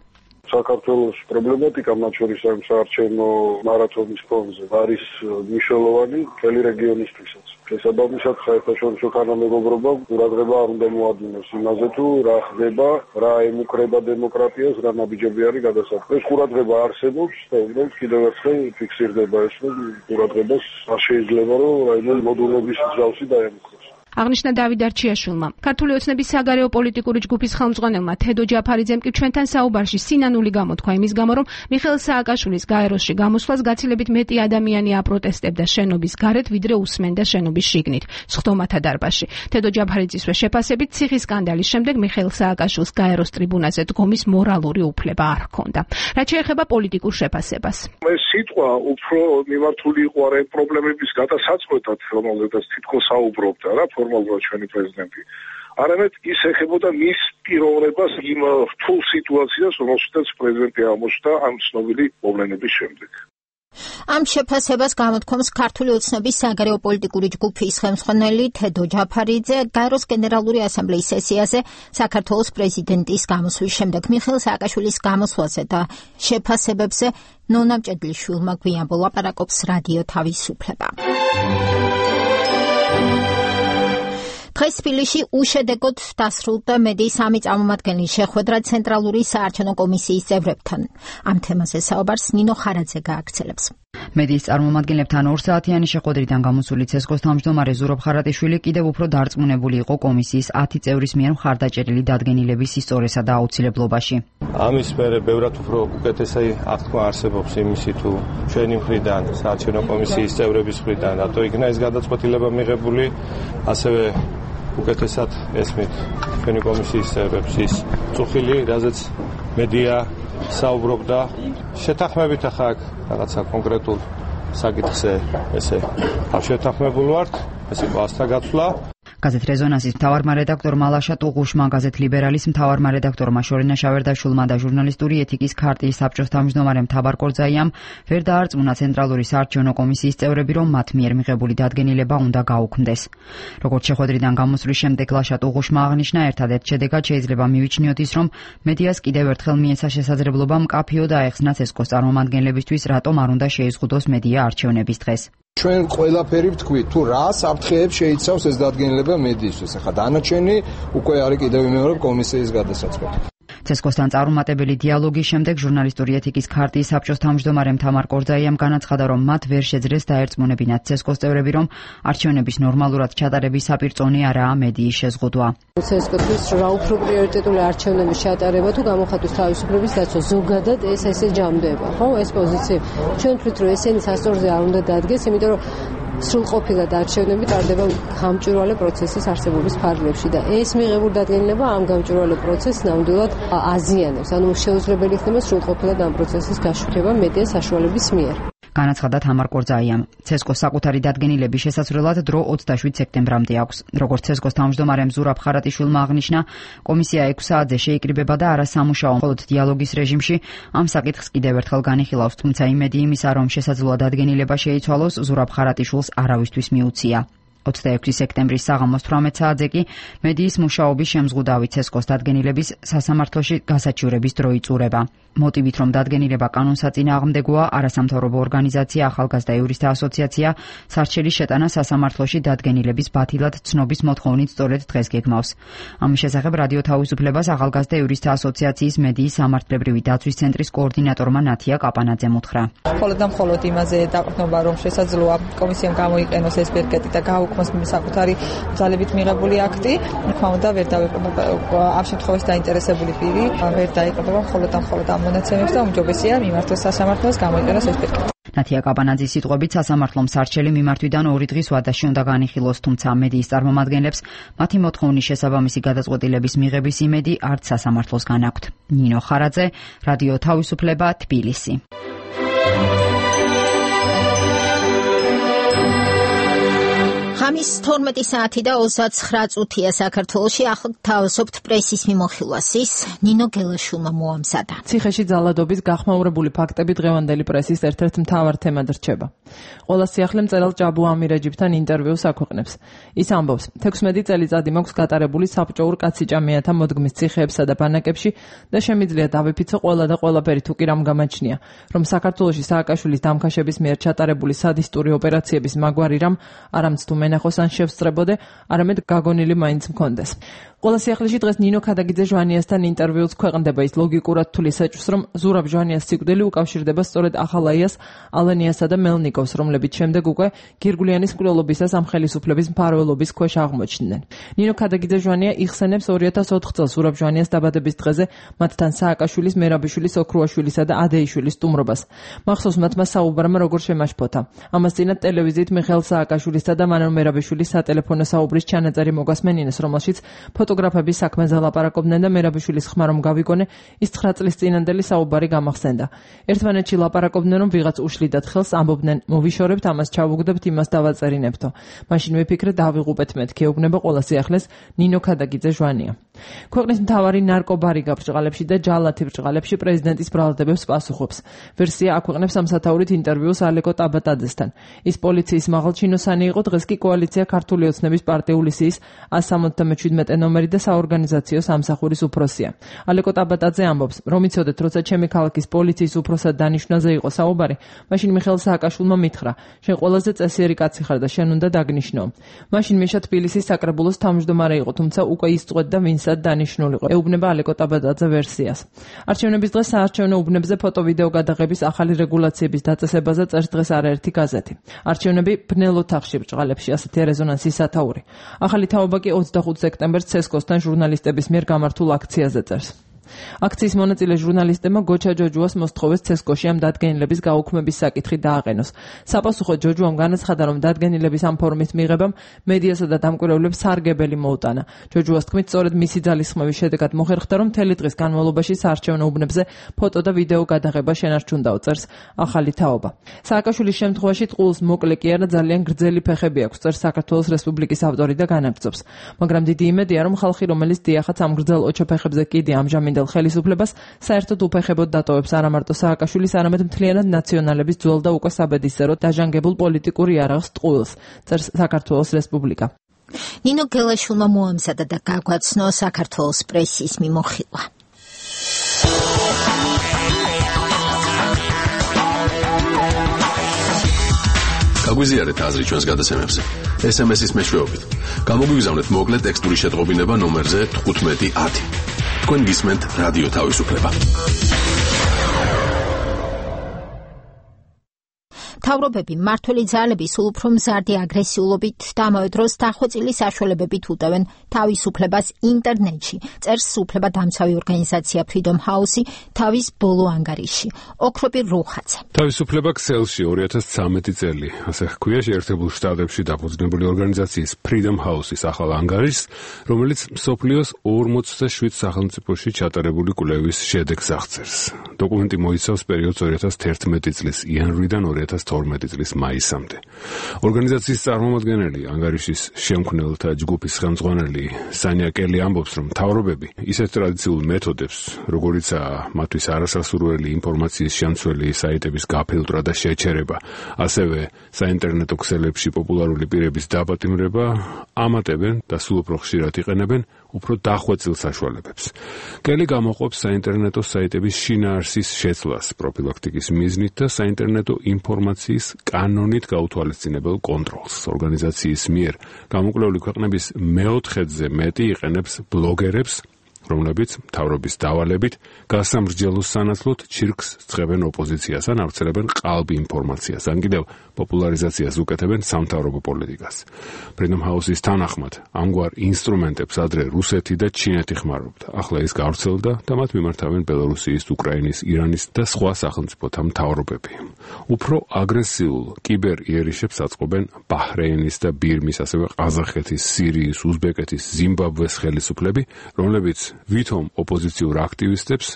საქართველოს პრობლემატიკა, მათ შორის ამ საარჩევნო მარათონის ფონზე არის მნიშვნელოვანი მთელი რეგიონისთვისაც. შესაბამისად, საერთაშორისო თანამეგობრობა ყურადღება არ უნდა მოადმინოს იმაზე, თუ რა ხდება, რა ემუქრება დემოკრატიას, რა ნაბიჯები არის გადასახადები. ეს ყურადღება არსებობს და უნდა კიდევ ერთხელ ფიქსირდება ეს, რომ ყურადღებას არ შეიძლება, რომ რაიმე მოდულობის მსგავსი დაემუქროს. აღნიშნა დავით არჩიაშვილმა. ქართული ოცნების საგარეო პოლიტიკური ჯგუფის ხელმძღვანელმა თედო ჯაფარიძემ კი ჩვენთან საუბარში სინანული გამოთქვა იმის გამო, რომ მიხეილ სააკაშვილის გაეროსში გამოსვლას გაცილებით მეტი ადამიანი აპროტესტებდა შენობის გარეთ, ვიდრე უსმენდა შენობის შიგნით, სხდომათა დარბაზში. თედო ჯაფარიძისვე შეფასებით, ციხის სკანდალის შემდეგ მიხეილ სააკაშვილს გაეროს ტრიბუნაზე დგომის მორალური უფლება არ ჰქონდა. რაც შეეხება პოლიტიკურ შეფასებას. ეს სიტყვა უფრო მიმართული იყო არ ამ პრობლემების გადასაწყვეტად, რომელზედაც თითქოს საუბრობდა რა ფორმალურად ჩვენი პრეზიდენტი. არამედ ის ეხებოდა მის პიროვნებას იმ რთულ სიტუაციას, რომელშიც პრეზიდენტი აღმოჩნდა ამ ცნობილი მოვლენების შემდეგ. ამ შეფასებას გამოთქვამს ქართული ოცნების საგარეო პოლიტიკური ჯგუფის ხელმძღვანელი თედო ჯაფარიძე გაეროს გენერალური ასამბლეის სესიაზე საქართველოს პრეზიდენტის გამოსვლის შემდეგ. მიხეილ სააკაშვილის გამოსვლაზე და შეფასებებზე ნონა მჭედლიშვილმა გვიან ლაპარაკობს რადიო თავისუფლება. დღეს თბილისში უშედეგოდ დასრულდა მედიის სამი წარმომადგენლის შეხვედრა ცენტრალური საარჩევნო კომისიის წევრებთან. ამ თემაზე საუბარს ნინო ხარაძე გააგრძელებს. მედიის წარმომადგენლებთან ორსაათიანი შეხვედრიდან გამოსული ცესკოს თავმჯდომარე ზურაბ ხარატიშვილი კიდევ უფრო დარწმუნებული იყო კომისიის ათი წევრის მიერ მხარდაჭერილი დადგენილების ისტორიასა და აუცილებლობაში. ამის მერე ბევრად უფრო უკეთესი აღთქმა არსებობს იმისი, თუ ჩვენი მხრიდან, საარჩევნო კომისიის წევრების მხრიდან რატო იქნა ეს გადაწყვეტილება მიღებული, ასევე უკეთესად ესმით ჩვენი კომისიის წევრებს ის წუხილი, რაზეც მედია საუბრობდა. შეთანხმებით ახლა აქ რაღაცა კონკრეტულ საკითხზე ესე არ შეთანხმებულ ვართ, ეს იყო ასთა გაცვლა. გაზეთ რეზონანსის მთავარმა რედაქტორმა ლაშა ტუღუშმა, გაზეთ ლიბერალის მთავარმა რედაქტორმა შორენა შავერდაშვილმა და ჟურნალისტური ეთიკის ქარტიის საბჭოს თავმჯდომარემ თაბარ კორძაიამ ვერ დაარწმუნა ცენტრალური საარჩევნო კომისიის წევრები, რომ მათ მიერ მიღებული დადგენილება უნდა გაუქმდეს. როგორც შეხვედრიდან გამოსვლის შემდეგ ლაშა ტუღუშმა აღნიშნა, ერთადერთ შედეგად შეიძლება მივიჩნიოთ ის, რომ მედიას კიდევ ერთხელ მიეცა შესაძლებლობა მკაფიოდ აეხსნა ცესკოს წარმომადგენლებისთვის, რატომ არ უნდა შეიზღუდოს მედია არჩევნების დღეს. ჩვენ ყველაფერი ვთქვით, თუ რა საფრთხეებს შეიცავს ეს დადგენილება მედიისთვის. ახლა დანარჩენი უკვე არის კიდევ იმეორებ კომისიის გადასაწყვეტი. ცესკოსთან წარუმატებელი დიალოგის შემდეგ ჟურნალისტური ეთიკის ქარტიის საბჭოს თავმჯდომარემ თამარ კორძაიამ განაცხადა, რომ მათ ვერ შეძლეს დაერწმუნებინათ ცესკოს წევრები, რომ არჩევნების ნორმალურად ჩატარების საპირწონე არაა მედიის შეზღუდვა. ცესკოსთვის რა უფრო პრიორიტეტული არჩევნების ჩატარება თუ გამოხატვის თავისუფლების დაცვა ზოგადად ეს ესე ჯამდება, ხო? ეს პოზიცია ჩვენ თვით რომ ესენი სასწორზე არ უნდა დადგეს, იმიტომ რომ სრულყოფილად არჩევნები ტარდება გამჭვირვალე პროცესის არსებობის ფარგლებში და ეს მიღებული დადგენილება ამ გამჭვირვალე პროცესს ნამდვილად აზიანებს. ანუ შეუძლებელი ხდება სრულყოფილად ამ პროცესის გაშუქება მედია საშუალების მიერ. განაცხადა თამარ კორძაიამ. ცესკოს საკუთარი დადგენილების შესაძლებლად დრო ოცდაშვიდ სექტემბრამდე აქვს. როგორც ცესკოს თავმჯდომარემ ზურაბ ხარატიშვილმა აღნიშნა, კომისია ექვსი საათზე შეიკრიბება და არასამუშაო მხოლოდ დიალოგის რეჟიმში ამ საკითხს კიდევ ერთხელ განიხილავს, თუმცა იმედი იმისა, რომ შესაძლოა დადგენილება შეიცვალოს, ზურაბ ხარატიშვილს არავისთვის მიუცია. ოცდაექვსი სექტემბრის საღამოს თვრამეტ საათზე კი მედიის მუშაობის შემზღუდავი ცესკოს დადგენილების სასამართლოში გასაჩივრების დრო იწურება. მოტივით, რომ დადგენილება კანონსაწინააღმდეგოა, არასამთავრობო ორგანიზაცია ახალგაზრდა იურისტთა ასოციაცია სარჩელის შეტანა სასამართლოში დადგენილების ბათილად ცნობის მოთხოვნით სწორედ დღეს გეგმავს. ამის შესახებ რადიო თავისუფლებას ახალგაზრდა იურისტთა ასოციაციის მედიის სამართლებრივი დაცვის ცენტრის კოორდინატორმა ნათია კაპანაძემ უთხრა. მხოლოდ და მხოლოდ იმაზე დაყრდნობა, რომ შესაძლოა კომისიამ გამოიყენოს ეს პირკეტი და გააუქმოს საკუთარი ძალებით მიღებული აქტი, თქმა უნდა ვერ დავეყრდნობა ამ შემთხვევაში დაინტერესებული პირი ვერ დაიყრდნობა მხოლოდ და მხოლოდ ამ მონაცემებს და უმჯობესია მიმართოს სასამართლოს გამოიყენოს ეს პირკეტი. ნათია კაპანაძის სიტყვებით სასამართლომ სარჩელი მიმართვიდან ორი დღის ვადაში უნდა განიხილოს, თუმცა მედიის წარმომადგენლებს მათი მოთხოვნის შესაბამისი გადაწყვეტილების მიღების იმედი არც სასამართლოსგან აქვთ. ნინო ხარაძე, რადიო თავისუფლება, თბილისი. ღამის თორმეტი საათი და ოცდაცხრა წუთია საქართველოში. ახლა თავისუფლ პრესის მიმოხილვას ის ნინო გელაშვილმა მოამზადა. ციხეში ძალადობის გახმაურებული ფაქტები დღევანდელი პრესის ერთ-ერთ მთავარ თემად რჩება. ყველა სიახლე მწერალ ჭაბუ ამირეჯიბთან ინტერვიუს აქვეყნებს. ის ამბობს, თექვსმეტი წელიწადი მაქვს გატარებული საბჭოურ კაციჭამეათა მოდგმის ციხეებსა და ბანაკებში და შემიძლია დავიფიცო ყველა და ყველაფერი თუ კი რამ გამაჩნია, რომ საქართველოში სააკაშვილის დამქაშების მიერ ჩატარებული სადისტური ოპერაციების მაგვარი რამ არამც თუ მენახოს ან შევსწრებოდე, არამედ გაგონილი მაინც მქონდეს. ყველა სიახლეში დღეს ნინო ქადაგიძე ჟვანიასთან ინტერვიუს ქვეყნდება. ის ლოგიკურად თulis ეჭვს, რომ ზურაბ ჟვანიას სიკვდილი უკავშირდება სწორედ ახალაიას, ალენიასა და მელნიკოვს, რომლებიც შემდეგ უკვე გირგულიანის მკვლელობისას ამ ხელისუფლების მფარველობის ქვეშ აღმოჩნდნენ. ნინო ქადაგიძე ჟვანია იხსენებს ორი ათას ოთხ წელს ზურაბ ჟვანიას დაბადების დღეზე მათთან სააკაშვილის, მერაბიშვილის, ოქრუაშვილისა და ადეიშვილის სტუმრობას. მახსოვს მათმა საუბრმა როგორ შემაშფოთა. ამას წინათ ტელევიზიით მიხეილ სააკაშვილისა და მანო მერაბიშვილის სატელეფონო საუბრის ჩანაწერი მოგასმენინეს, რომელშიც ფოტოგრაფების საქმეზე ლაპარაკობდნენ და მერაბიშვილის ხმა რომ გავიგონე, ის ცხრა წლის წინანდელი საუბარი გამახსენდა. ერთმანეთში ლაპარაკობდნენ, რომ ვიღაც უშლიდათ ხელს, ამბობდნენ, მოვიშორებთ, ამას ჩავუგდებთ, იმას დავაწერინებთო. მაშინ ვიფიქრე, დავიღუპეთ მეთქი, ეუბნება ყველა სიახლეს ნინო ქადაგიძე ჟვანია. ქვეყნის მთავარი ნარკობარი გაბრჭყალებში და ჯალათი ბრჭყალებში პრეზიდენტის ბრალდებებს პასუხობს. ვერსია აქვეყნებს სამსათაურით ინტერვიუს ალეკო ტაბატაძესთან. ის პოლიციის მაღალჩინოსანი იყო, დღეს კი კოალიცია ქართული ოცნების პარტიული სიის ას სამოცდამეჩვიდმეტე ნომერი და საორგანიზაციო სამსახურის უფროსია. ალეკო ტაბატაძე ამბობს, რომ იცოდეთ, როცა ჩემი ქალაქის პოლიციის უფროსად დანიშვნაზე იყო საუბარი, მაშინ მიხეილ სააკაშვილმა მითხრა, შენ ყველაზე წესიერი კაცი ხარ და შენ უნდა დაგნიშნო. მაშინ მიშა თბილისის საკრებულოს თავმჯდომარე იყო, თუმცა უკვე იწყვეთ და ვინსად დანიშნულიყო. ეუბნება ალეკო ტაბატაძე ვერსიას. არჩევნების დღეს საარჩევნო უბნებზე ფოტო-ვიდეო გადაღების ახალი რეგულაციების დაწესებაზე წერს დღეს არაერთი გაზეთი. არჩევნები ბნელ ოთახში ბრჭყალებში, ასეთია რეზონანსის სათაური. ახალი თაობა კი ოცდახუთ სექტემბერს ცესკოსთან ჟურნალისტების მიერ გამართულ აქციაზე წერს. აქციის მონაწილე ჟურნალისტებმა გოჩა ჯოჯუას მოსთხოვეს ცესკოში ამ დადგენილების გაუქმების საკითხი დააყენოს. საპასუხოდ ჯოჯუამ განაცხადა, რომ დადგენილების ამ ფორმის მიღებამ მედიასა და დამკვირვებლებს სარგებელი მოუტანა. ჯოჯუას თქმით, სწორედ მისი ძალისხმევის შედეგად მოხერხდა, რომ მთელი დღის განმავლობაში საარჩევნო უბნებზე ფოტო და ვიდეო გადაღება შენარჩუნდაო, წერს ახალი თაობა. სააკაშვილის შემთხვევაში ტყუილს მოკლე კი არა, ძალიან გრძელი ფეხები აქვს, წერს საქართველოს რესპუბლიკის ავტორი და განაგრძობს. მაგრამ დიდი იმედია, რომ ხალხი, რომელიც დიახაც ამ გრძელ ოჩოფეხებზე კიდე ამჟამინდელ ხელისუფლებას საერთოდ უფეხებოდ დატოვებს არა მარტო სააკაშვილის, არამედ მთლიანად ნაციონალების ძველ და უკვე საბედისწეროდ დაჟანგებულ პოლიტიკურ იარაღს ტყუილს, წერს საქართველოს რესპუბლიკა. ნინო გელაშვილმა მოამზადა და გაგვაცნო საქართველოს პრესის მიმოხილვა. გაგვიზიარეთ აზრი ჩვენს გადაცემებზე. ეს ემ ეს-ის მეშვეობით. გამოგვიგზავნეთ მოკლე ტექსტური შეტყობინება ნომერზე თხუთმეტი ათი. თქვენ გისმენთ რადიო თავისუფლება. მთავრობები მმართველი ძალები სულ უფრო მზარდი აგრესიულობით და ამავე დროს დახვეწილი საშუალებებით უტევენ თავისუფლებას ინტერნეტში, წერს სრულუფლებადამცავი ორგანიზაცია Freedom House-ი თავის ბოლო ანგარიში. ოქროპირ რუხაძე. თავისუფლება ქსელში ორი ათას ცხრამეტი წელი, ასე ჰქვია შეერთებულ შტატებში დაფუძნებული ორგანიზაციის Freedom House-ის ახალ ანგარიშს, რომელიც მსოფლიოს ორმოცდაშვიდ სახელმწიფოში ჩატარებული კვლევის შედეგს აღწერს. დოკუმენტი მოიცავს პერიოდს ორი ათას თერთმეტი წლის იანვრიდან ორი ათას თორმეტი წლის მაისამდე. ორგანიზაციის წარმომადგენელი, ანგარიშის შემქმნელთა ჯგუფის ხელმძღვანელი სანია კელი ამბობს, რომ მთავრობები ისეთ ტრადიციულ მეთოდებს, როგორიცაა მათთვის არასასურველი ინფორმაციის შემცველი საიტების გაფილტრა და შეჩერება, ასევე საინტერნეტო ქსელებში პოპულარული პირების დაპატიმრება, ამატებენ და სულ უფრო ხშირად იყენებენ უფრო დახვეწილ საშუალებებს. კელი გამოყოფს საინტერნეტო საიტების შინაარსის შეცვლას პროფილაქტიკის მიზნით და საინტერნეტო ინფორმაციის კანონით გაუთვალისწინებელ კონტროლს. ორგანიზაციის მიერ გამოკვლეული ქვეყნების მეოთხედზე მეტი იყენებს ბლოგერებს, რომლებიც მთავრობის დავალებით გასამრჯელოს სანაცვლოდ ჩირკს ცხებენ ოპოზიციას ან ავრცელებენ ყალბი ინფორმაციას, ან კიდევ პოპულარიზაციას უკეთებენ სამთავრობო პოლიტიკას. Freedom House-ის თანახმად, ამგვარ ინსტრუმენტებს ადრე რუსეთი და ჩინეთი ხმარობდა. ახლა ის გავრცელდა და მათ მიმართავენ ბელორუსიის, უკრაინის, ირანის და სხვა სახელმწიფოთა მთავრობები. უფრო აგრესიულ კიბერ იერიშებს აწყობენ ბაჰრეინის და ბირმის, ასევე ყაზახეთის, სირიის, უზბეკეთის, ზიმბაბვეს ხელისუფლები, რომლებიც ვითომ ოპოზიციურ აქტივისტებს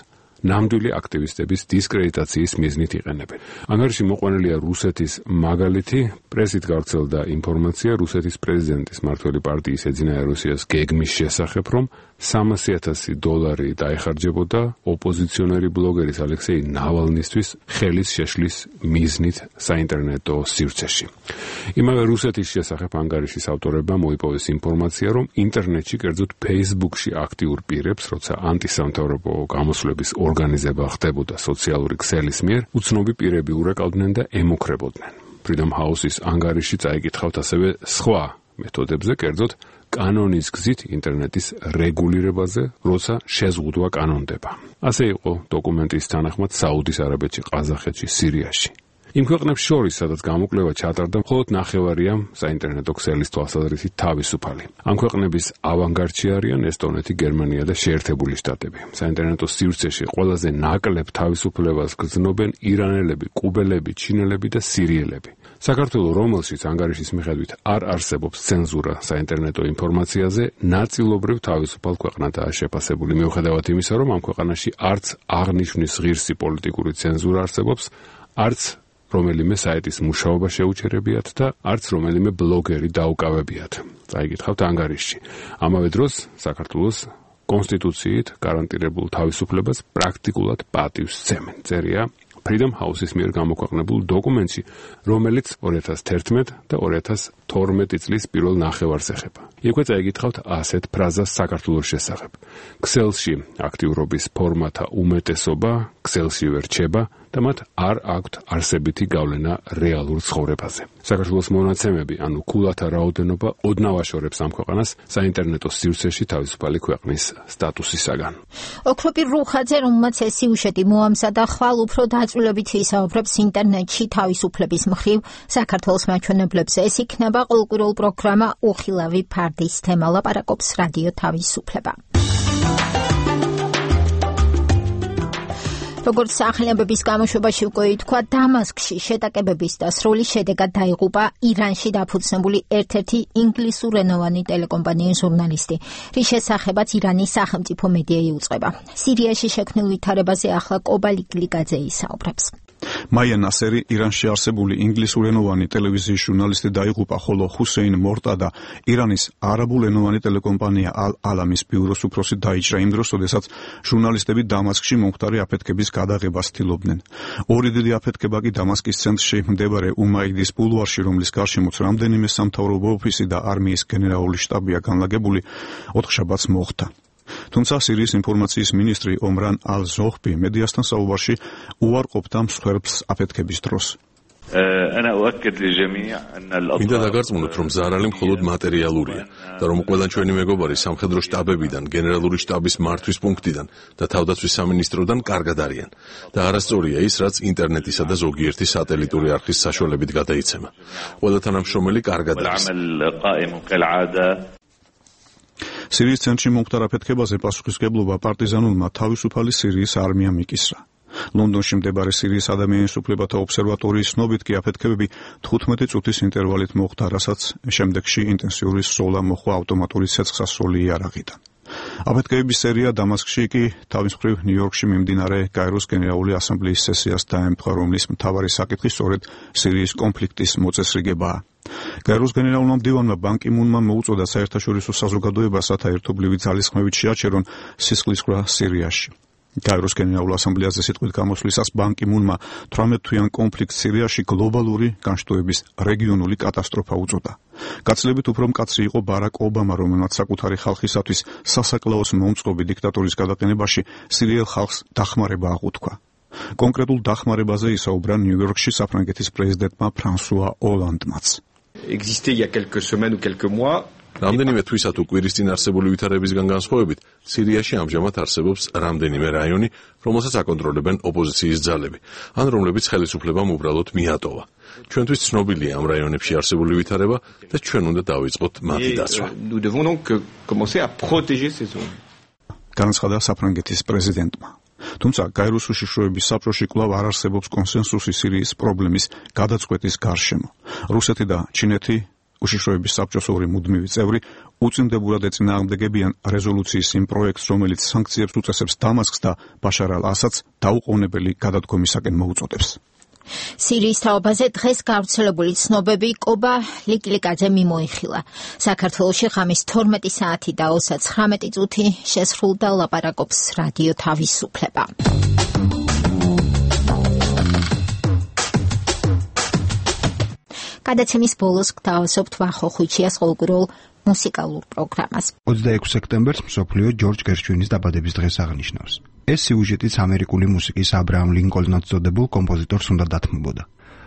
ნამდვილი აქტივისტების დისკრედიტაციის მიზნით იყენებენ. ანგარიში მოყვანილია რუსეთის მაგალითი, პრესით გავრცელდა ინფორმაცია რუსეთის პრეზიდენტის მმართველი პარტიის ეძინა რუსიას გეგმის შესახებ, რომ სამასი ათასი დოლარი დაეხარჯებოდა ოპოზიციონერი ბლოგერის ალექსეი ნავალნისთვის ხელის შეშლის მიზნით საინტერნეტო სივრცეში. იმავე რუსეთის შესახებ ანგარიშის ავტორებმა მოიპოვეს ინფორმაცია, რომ ინტერნეტში, კერძოდ Facebook-ში აქტიურ პირებს, როცა ანტისამთავრობო გამოსვლების ორგანიზება ხდებოდა სოციალური ქსელის მიერ, უცნობი პირები ურეკავდნენ და ემუქრებოდნენ. Freedom House-ის ანგარიში წაიკითხავთ ასევე სხვა მეთოდებზე, კერძოდ კანონის გზით ინტერნეტის რეგულირებაზე, როცა შეზღუდვა კანონდება. ასე იყო დოკუმენტის თანახმად საუდის არაბეთში, ყაზახეთში, სირიაში. იმ ქვეყნებს შორის, სადაც გამოკვლევა ჩატარდა, მხოლოდ ნახევარია საინტერნეტო ქსელის თვალსაზრისით თავისუფალი. ამ ქვეყნების ავანგარდში არიან ესტონეთი, გერმანია და შეერთებული შტატები. საინტერნეტო სივრცეში ყველაზე ნაკლებ თავისუფლებას გრძნობენ ირანელები, კუბელები, ჩინელები და სირიელები. საქართველოს, რომელშიც ანგარიშის მიხედვით არ არსებობს ცენზურა საინტერნეტო ინფორმაციაზე, ნაწილობრივ თავისუფალ ქვეყნადაა შეფასებული, მიუხედავად იმისა, რომ ამ ქვეყანაში არც აღნიშვნის ღირსი პოლიტიკური ცენზურა არსებობს, არც რომელიმე საიტის მუშაობა შეუჩერებიათ და არც რომელიმე ბლოგერი დაუკავებიათ. წაიკითხავთ ანგარიშში. ამავე დროს საქართველოს კონსტიტუციით გარანტირებულ თავისუფლებას პრაქტიკულად პატივს სცემენ. წერია Freedom House-ის მიერ გამოქვეყნებულ დოკუმენტში, რომელიც ორი ათას თერთმეტი და ორი ათას თორმეტი წლის პირველ ნახევარს ეხება. იქვე წაიკითხავთ ასეთ ფრაზას საქართველოს შესახებ. ქსელში აქტიურობის ფორმათა უმეტესობა ქსელში ვერ რჩება და მათ არ აქვთ არსებითი გავლენა რეალურ ცხოვრებაზე. საქართველოს მონაცემები, ანუ ქულათა რაოდენობა ოდნავ აშორებს ამ ქვეყანას საინტერნეტო სივრცეში თავისუფალი ქვეყნის სტატუსისაგან. ოქროპირ რუხაძე, რომელმაც ეს სიუჟეტი მოამზადა, ხვალ უფრო დაწვრილებით ვისაუბრებს ინტერნეტში თავისუფლების მხრივ საქართველოს მაჩვენებლებზე. ეს იქნება ყოველკვირეულ პროგრამა უხილავი ფარდის თემა. ლაპარაკობს რადიო თავისუფლება. როგორც სახელმწიფოების გამოშვებაში უკვე ითქვა, დამასკში შეტაკებების დასრულის შედეგად დაიღუპა ირანში დაფუძნებული ერთ-ერთი ინგლისურენოვანი ტელეკომპანიის ჟურნალისტი, რის შესახებაც ირანის სახელმწიფო მედია იუწყება. სირიაში შექმნილ ვითარებაზე ახლა კობალი გლიკაძე ისაუბრებს. მაია ნასერი ირანში არსებული ინგლისურენოვანი ტელევიზიის ჟურნალისტი დაიღუპა, ხოლო ჰუსეინ მორტადა ირანის არაბულენოვანი ტელეკომპანია ალ-ალამის ბიუროს უფროსი დაიჭრა იმ დროს, როდესაც ჟურნალისტები დამასკში მომხდარი აფეთქების გადაღებას ცდილობდნენ. ორი დიდი აფეთქება კი დამასკის ცენტრში მდებარე უმაიდის ბულვარში, რომლის გარშემოც რამდენიმე სამთავრობო ოფისი და არმიის გენერალური შტაბია განლაგებული, ოთხშაბათს მოხდა. თუმცა სირიის ინფორმაციის მინისტრი ომრან ალ-ზოჰბი მედიასთან საუბარში უარყოფდა მსხვერპლს აფეთქების დროს. მინდა დაგარწმუნოთ, რომ ზარალი მხოლოდ მატერიალურია და რომ ყველა ჩვენი მეგობარი სამხედრო შტაბებიდან, გენერალური შტაბის მართვის პუნქტიდან და თავდაცვის სამინისტროდან კარგად არიან და არასწორია ის, რაც ინტერნეტისა და ზოგიერთი სატელიტური არხის საშუალებით გადაიცემა. ყველა თანამშრომელი კარგად არის. სირიის ცენტრში მომხდარ აფეთქებაზე პასუხისმგებლობა პარტიზანულმა თავისუფალი სირიის არმიამ იკისრა. ლონდონში მდებარე სირიის ადამიანის უფლებათა ობსერვატორიის ცნობით კი აფეთქებები თხუთმეტი წუთის ინტერვალით მოხდა, რასაც შემდეგში ინტენსიური სროლა მოხდა ავტომატური ცეცხლსასროლი იარაღიდან. აფეთქებების სერია დამასკში კი თავის მხრივ ნიუ-იორკში მიმდინარე გაეროს გენერალური ასამბლეის სესიას დაემთხვა, რომლის მთავარი საკითხი სწორედ სირიის კონფლიქტის მოწესრიგებაა. გაეროს გენერალურმა მდივანმა ბან კი მუნმა მოუწოდა საერთაშორისო საზოგადოებას, რათა ერთობლივი ძალისხმევით შეაჩერონ სისხლისღვრა სირიაში. გაეროს გენერალურ ასამბლეაზე სიტყვით გამოსვლისას ბან კი მუნმა თვრამეტ თვიან კონფლიქტს სირიაში გლობალური განშტოების რეგიონული კატასტროფა უწოდა. გაცილებით უფრო მკაცრი იყო ბარაკ ობამა, რომელმაც საკუთარი ხალხისათვის სასაკლაოს მომწყობი დიქტატურის გადაყენებაში სირიელ ხალხს დახმარება აღუთქვა. კონკრეტულ დახმარებაზე ისაუბრა ნიუ-იორკში საფრანგეთის პრეზიდენტმა ფრანსუა ოლანდმაც. Existait il y a quelques semaines ou quelques mois. რამდენიმე თვისა თუ კვირის წინ არსებული ვითარებისგან განსხვავებით, სირიაში ამჟამად არსებობს რამდენიმე რაიონი, რომელსაც აკონტროლებენ ოპოზიციის ძალები, ან რომლებიც ხელისუფლებამ უბრალოდ მიატოვა. ჩვენთვის ცნობილია ამ რაიონებში არსებული ვითარება და ჩვენ უნდა დავიწყოთ მათი დაცვა. Nous devons donc commencer à protéger ces zones. განაცხადა საფრანგეთის პრეზიდენტმა. თუმცა გაეროს უშიშროების საბჭოში კვლავ არ არსებობს კონსენსუსი სირიის პრობლემის გადაწყვეტის გარშემო. რუსეთი და ჩინეთი უშიშროების საბჭოს ორი მუდმივი წევრი უწინდებურად ეწინააღმდეგებიან რეზოლუციის იმ პროექტს, რომელიც სანქციებს უწესებს დამასკს და ბაშარ ალ-ასადს დაუყოვნებელი გადადგომისაკენ მოუწოდებს. სირიის თაობაზე დღეს გავრცელებული ცნობები კობა ლიკლიკაძე მიმოიხილა. საქართველოში ღამის თორმეტი საათი და ოცდაცხრამეტი წუთი შესრულდა ლაპარაკობს რადიო თავისუფლება. გადაცემის ბოლოს გთავაზობთ ვახო ხუჩიას ყოველკვირეულ მუსიკალურ პროგრამას. ოცდაექვსი სექტემბერს მსოფლიო ჯორჯ გერშვინის დაბადების დღეს აღნიშნავს. ეს სიუჟეტიც ამერიკული მუსიკის აბრაამ ლინკოლნად წოდებულ კომპოზიტორს უნდა დათმობოდა.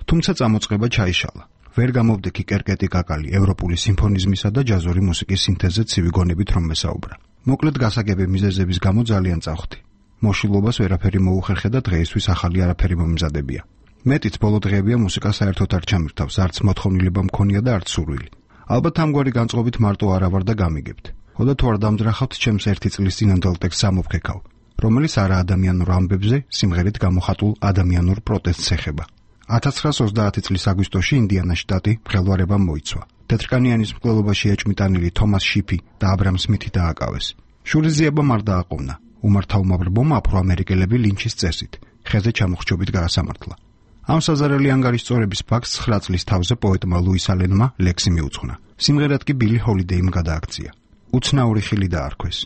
თუმცა წამოწყება ჩაიშალა. ვერ გამოვდექი კერკეტი კაკალი ევროპული სიმფონიზმისა და ჯაზური მუსიკის სინთეზზე ცივი გონებით რომ მესაუბრა. მოკლედ გასაგები მიზეზების გამო ძალიან წავხდი. მოშილობას ვერაფერი მოუხერხე და დღეისთვის ახალი არაფერი მომზადებია. მეტიც ბოლო დღეებია მუსიკა საერთოდ არ ჩამირთავს, არც მოთხოვნილება მქონია და არც სურვილი. ალბათ ამგვარი განწყობით მარტო არა ვარ და გამიგებთ. ხოდა თუ არ დამძრახავთ ჩემს ერთი წლის წინანდელ ტექსტს ამოფქეკავ, რომელიც არა ადამიანურ ამბებზე, სიმღერით გამოხატულ ადამიანურ პროტესტს ეხება. ათას ცხრაას ოცდაათი წლის აგვისტოში ინდიანას შტატი მღელვარებამ მოიცვა. თეთრკანიანის მკვლელობაში ეჭვმიტანილი თომას შიფი და აბრამ სმითი დააკავეს. შურიზიებამ არ დააყოვნა. უმართავმობრბომ აფროამერიკელები ლინჩის წესით, ხეზე ჩამოხრჩობით გაასამართლა. ამ საზარელი ანგარიშწორების ფაქტს ცხრა წლის თავზე პოეტმა ლუის ალენმა ლექსი მიუძღვნა. სიმღერად კი ბილი ჰოლიდეიმ გადააქცია. უცნაური ხილი დაარქვეს,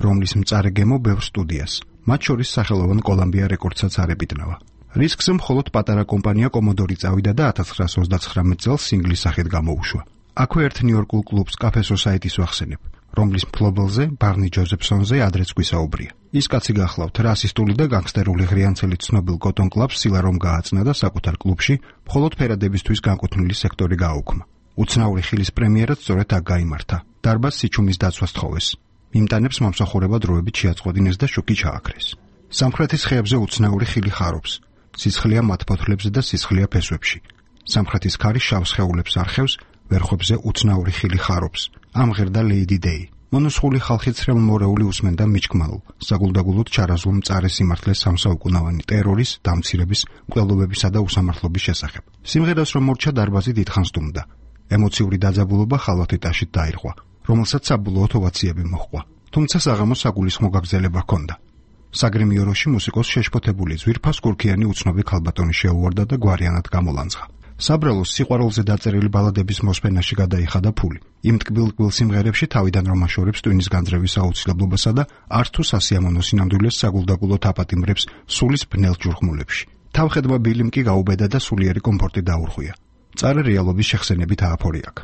რომლის მწარე გემო ბევრ სტუდიას, მათ შორის სახელოვან კოლუმბია რეკორდსაც არ ებიტნავა. რისკზე მხოლოდ პატარა კომპანია კომოდორი წავიდა და ათას ცხრაას ოცდაცხრამეტ წელს სინგლის სახით გამოუშვა. აქვე ერთ ნიუ-იორკულ კლუბს კაფე სოსაიტის ვახსენებ, რომლის მფლობელზე ბარნი ჯოზეფსონზე ადრეც გვისაუბრია. ის კაცი გახლავთ რასისტული და განგსტერული ღრიანცელი ცნობილ კოტონ კლაბს სილა რომ გააცნა და საკუთარ კლუბში მხოლოდ ფერადებისთვის განკუთვნილი სექტორი გააუქმა. უცნაური ხილის პრემიერაც სწორედ აქ გაიმართა. დარბაზს სიჩუმის დაცვა სთხოვეს. მიმტანებს მომსახურება დროებით შეაწყვეტინეს და შოკი ჩააქრეს. სამხრეთის ხეებზე უცნაური ხილი ხარობს. სისხლია მათფოთლებზე და სისხლია ფესვებში. სამხრეთის ქარი შავ სხეულებს არხევს, ვერხებზე უცნაური ხილი ხარობს. ამღერდა ლეიდი დეი. მონოსხული ხალხი ცრემლმორეული უსმენდა მიჩქმალ, საგულდაგულოდ ჩარაზულ მწარე სიმართლეს სამსაუკუნოვანი ტერორის, დამცირების, მკვლელობებისა და უსამართლობის შესახებ. სიმღერას რომ მორჩა დარბაზი დიდხანს დუმდა. ემოციური დაძაბულობა ხალვათიტაშით დაირღვა, რომელსაც საბოლოოდ ოვაციები მოჰყვა. თუმცა საღამოს საგულისხმო გაგრძელება ჰქონდა. საგრემიოროში მუსიკოს შეშფოთებული ძვირფას კურქიანი უცნობი ქალბატონი შეუვარდა და გვარიანად გამოლანძღა. საბრალოს სიყვარულზე დაწერილი ბალადების მოსმენაში გადაიხადა ფული. იმ ტკბილ-ტკბილ სიმღერებში თავიდან რომ აშორებს ტვინის განძრევის აუცილებლობასა და არც თუ სასიამოვნო სინამდვილეს საგულდაგულოდ აპატიმრებს სულის ბნელ ჯურხმულებში. თავხედმა ბილიმ კი გაუბედა და სულიერი კომფორტი დაურღვია. მწარე რეალობის შეხსენებით ააფორი აქ.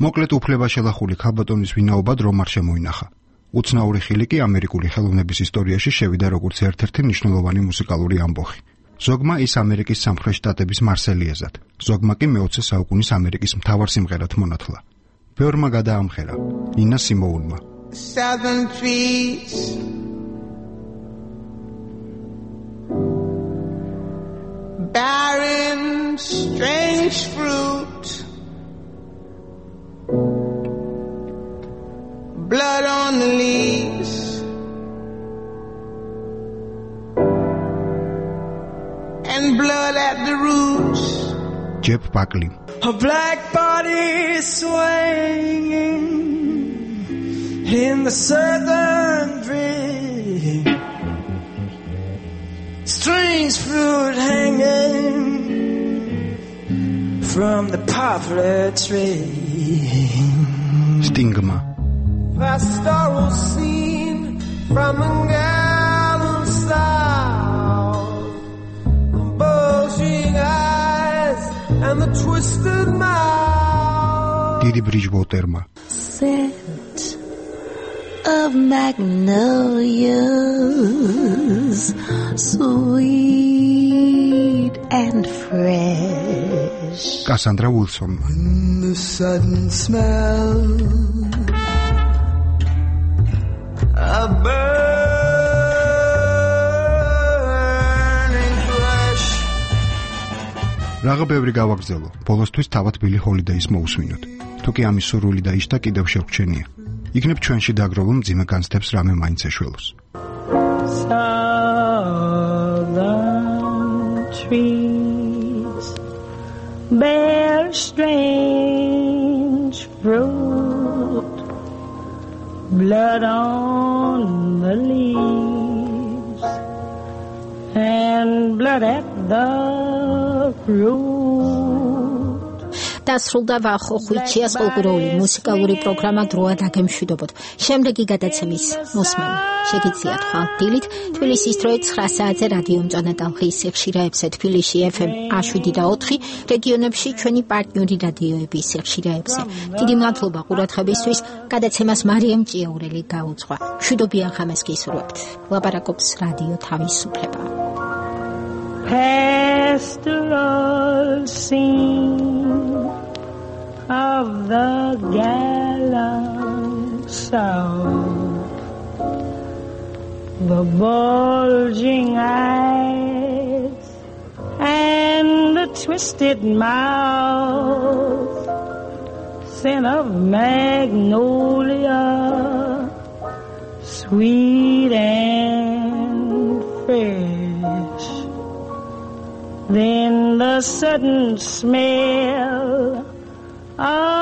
მოკლედ უფლება შელახული ქალბატონის ვინაობა რომ არ შემოინახა. უცნაური ხილი კი ამერიკული ხელოვნების ისტორიაში შევიდა როგორც ერთ-ერთი მნიშვნელოვანი მუსიკალური ამბოხი. ზოგმა ის ამერიკის სამხრეთ შტატების მარსელიეზად, ზოგმა კი მეოცე საუკუნის ამერიკის მთავარ სიმღერად მონათლა. ბევრმა გადაამღერა, ნინა სიმოუნმა. Southern trees bearing strange fruit, blood on the leaves, and blood at the roots. Jeff Buckley. A black body swinging in the southern breeze, strange fruit hanging from the poplar tree. Stigma. Pastoral scene from a gallant south, bulging eyes and the twisted mouth. Didi Bridgewaterma. Scent of magnolias, sweet and fresh. Cassandra Wilson. When the sudden smell of burning flesh. Რაღა ბევრი გავაგრძელო. ბოლოსთვის თავად ბილი ჰოლიდეის მოусვინოთ. თუ კი ამის სურვილი დაიშთა კიდევ შეგვჩენია. იქნებ ჩვენში დაგროვილ მძიმე განცდებს რამე მაინც ეშველოს. Southern trees bear strange orange fruit, blood on the leaves, and blood at the root. დასრულდა ვახოხვიჩიას კულტურული მუსიკალური პროგრამა დროა დაგემშვიდობოთ. შემდეგი გადაცემის მოსმენა შეგიძლიათ ხალხდილით თბილისის დროით ცხრა საათზე რადიო მწვანე ტალღის სიხშირეებზე თბილისში ეფ ემ შვიდ და ოთხი, რეგიონებში ჩვენი პარტნიორი რადიოების სიხშირეებზე. დიდი მადლობა ყურადღებისთვის. გადაცემას მარიამ ჭიაურელი გაუძღვა. მშვიდობიან ხამეს გისურვებთ. ლაპარაკობს რადიო თავისუფლება. Pastoral scene of the gallant South, the bulging eyes and the twisted mouth, scent of magnolia, sweet and fresh. Then the sudden smell of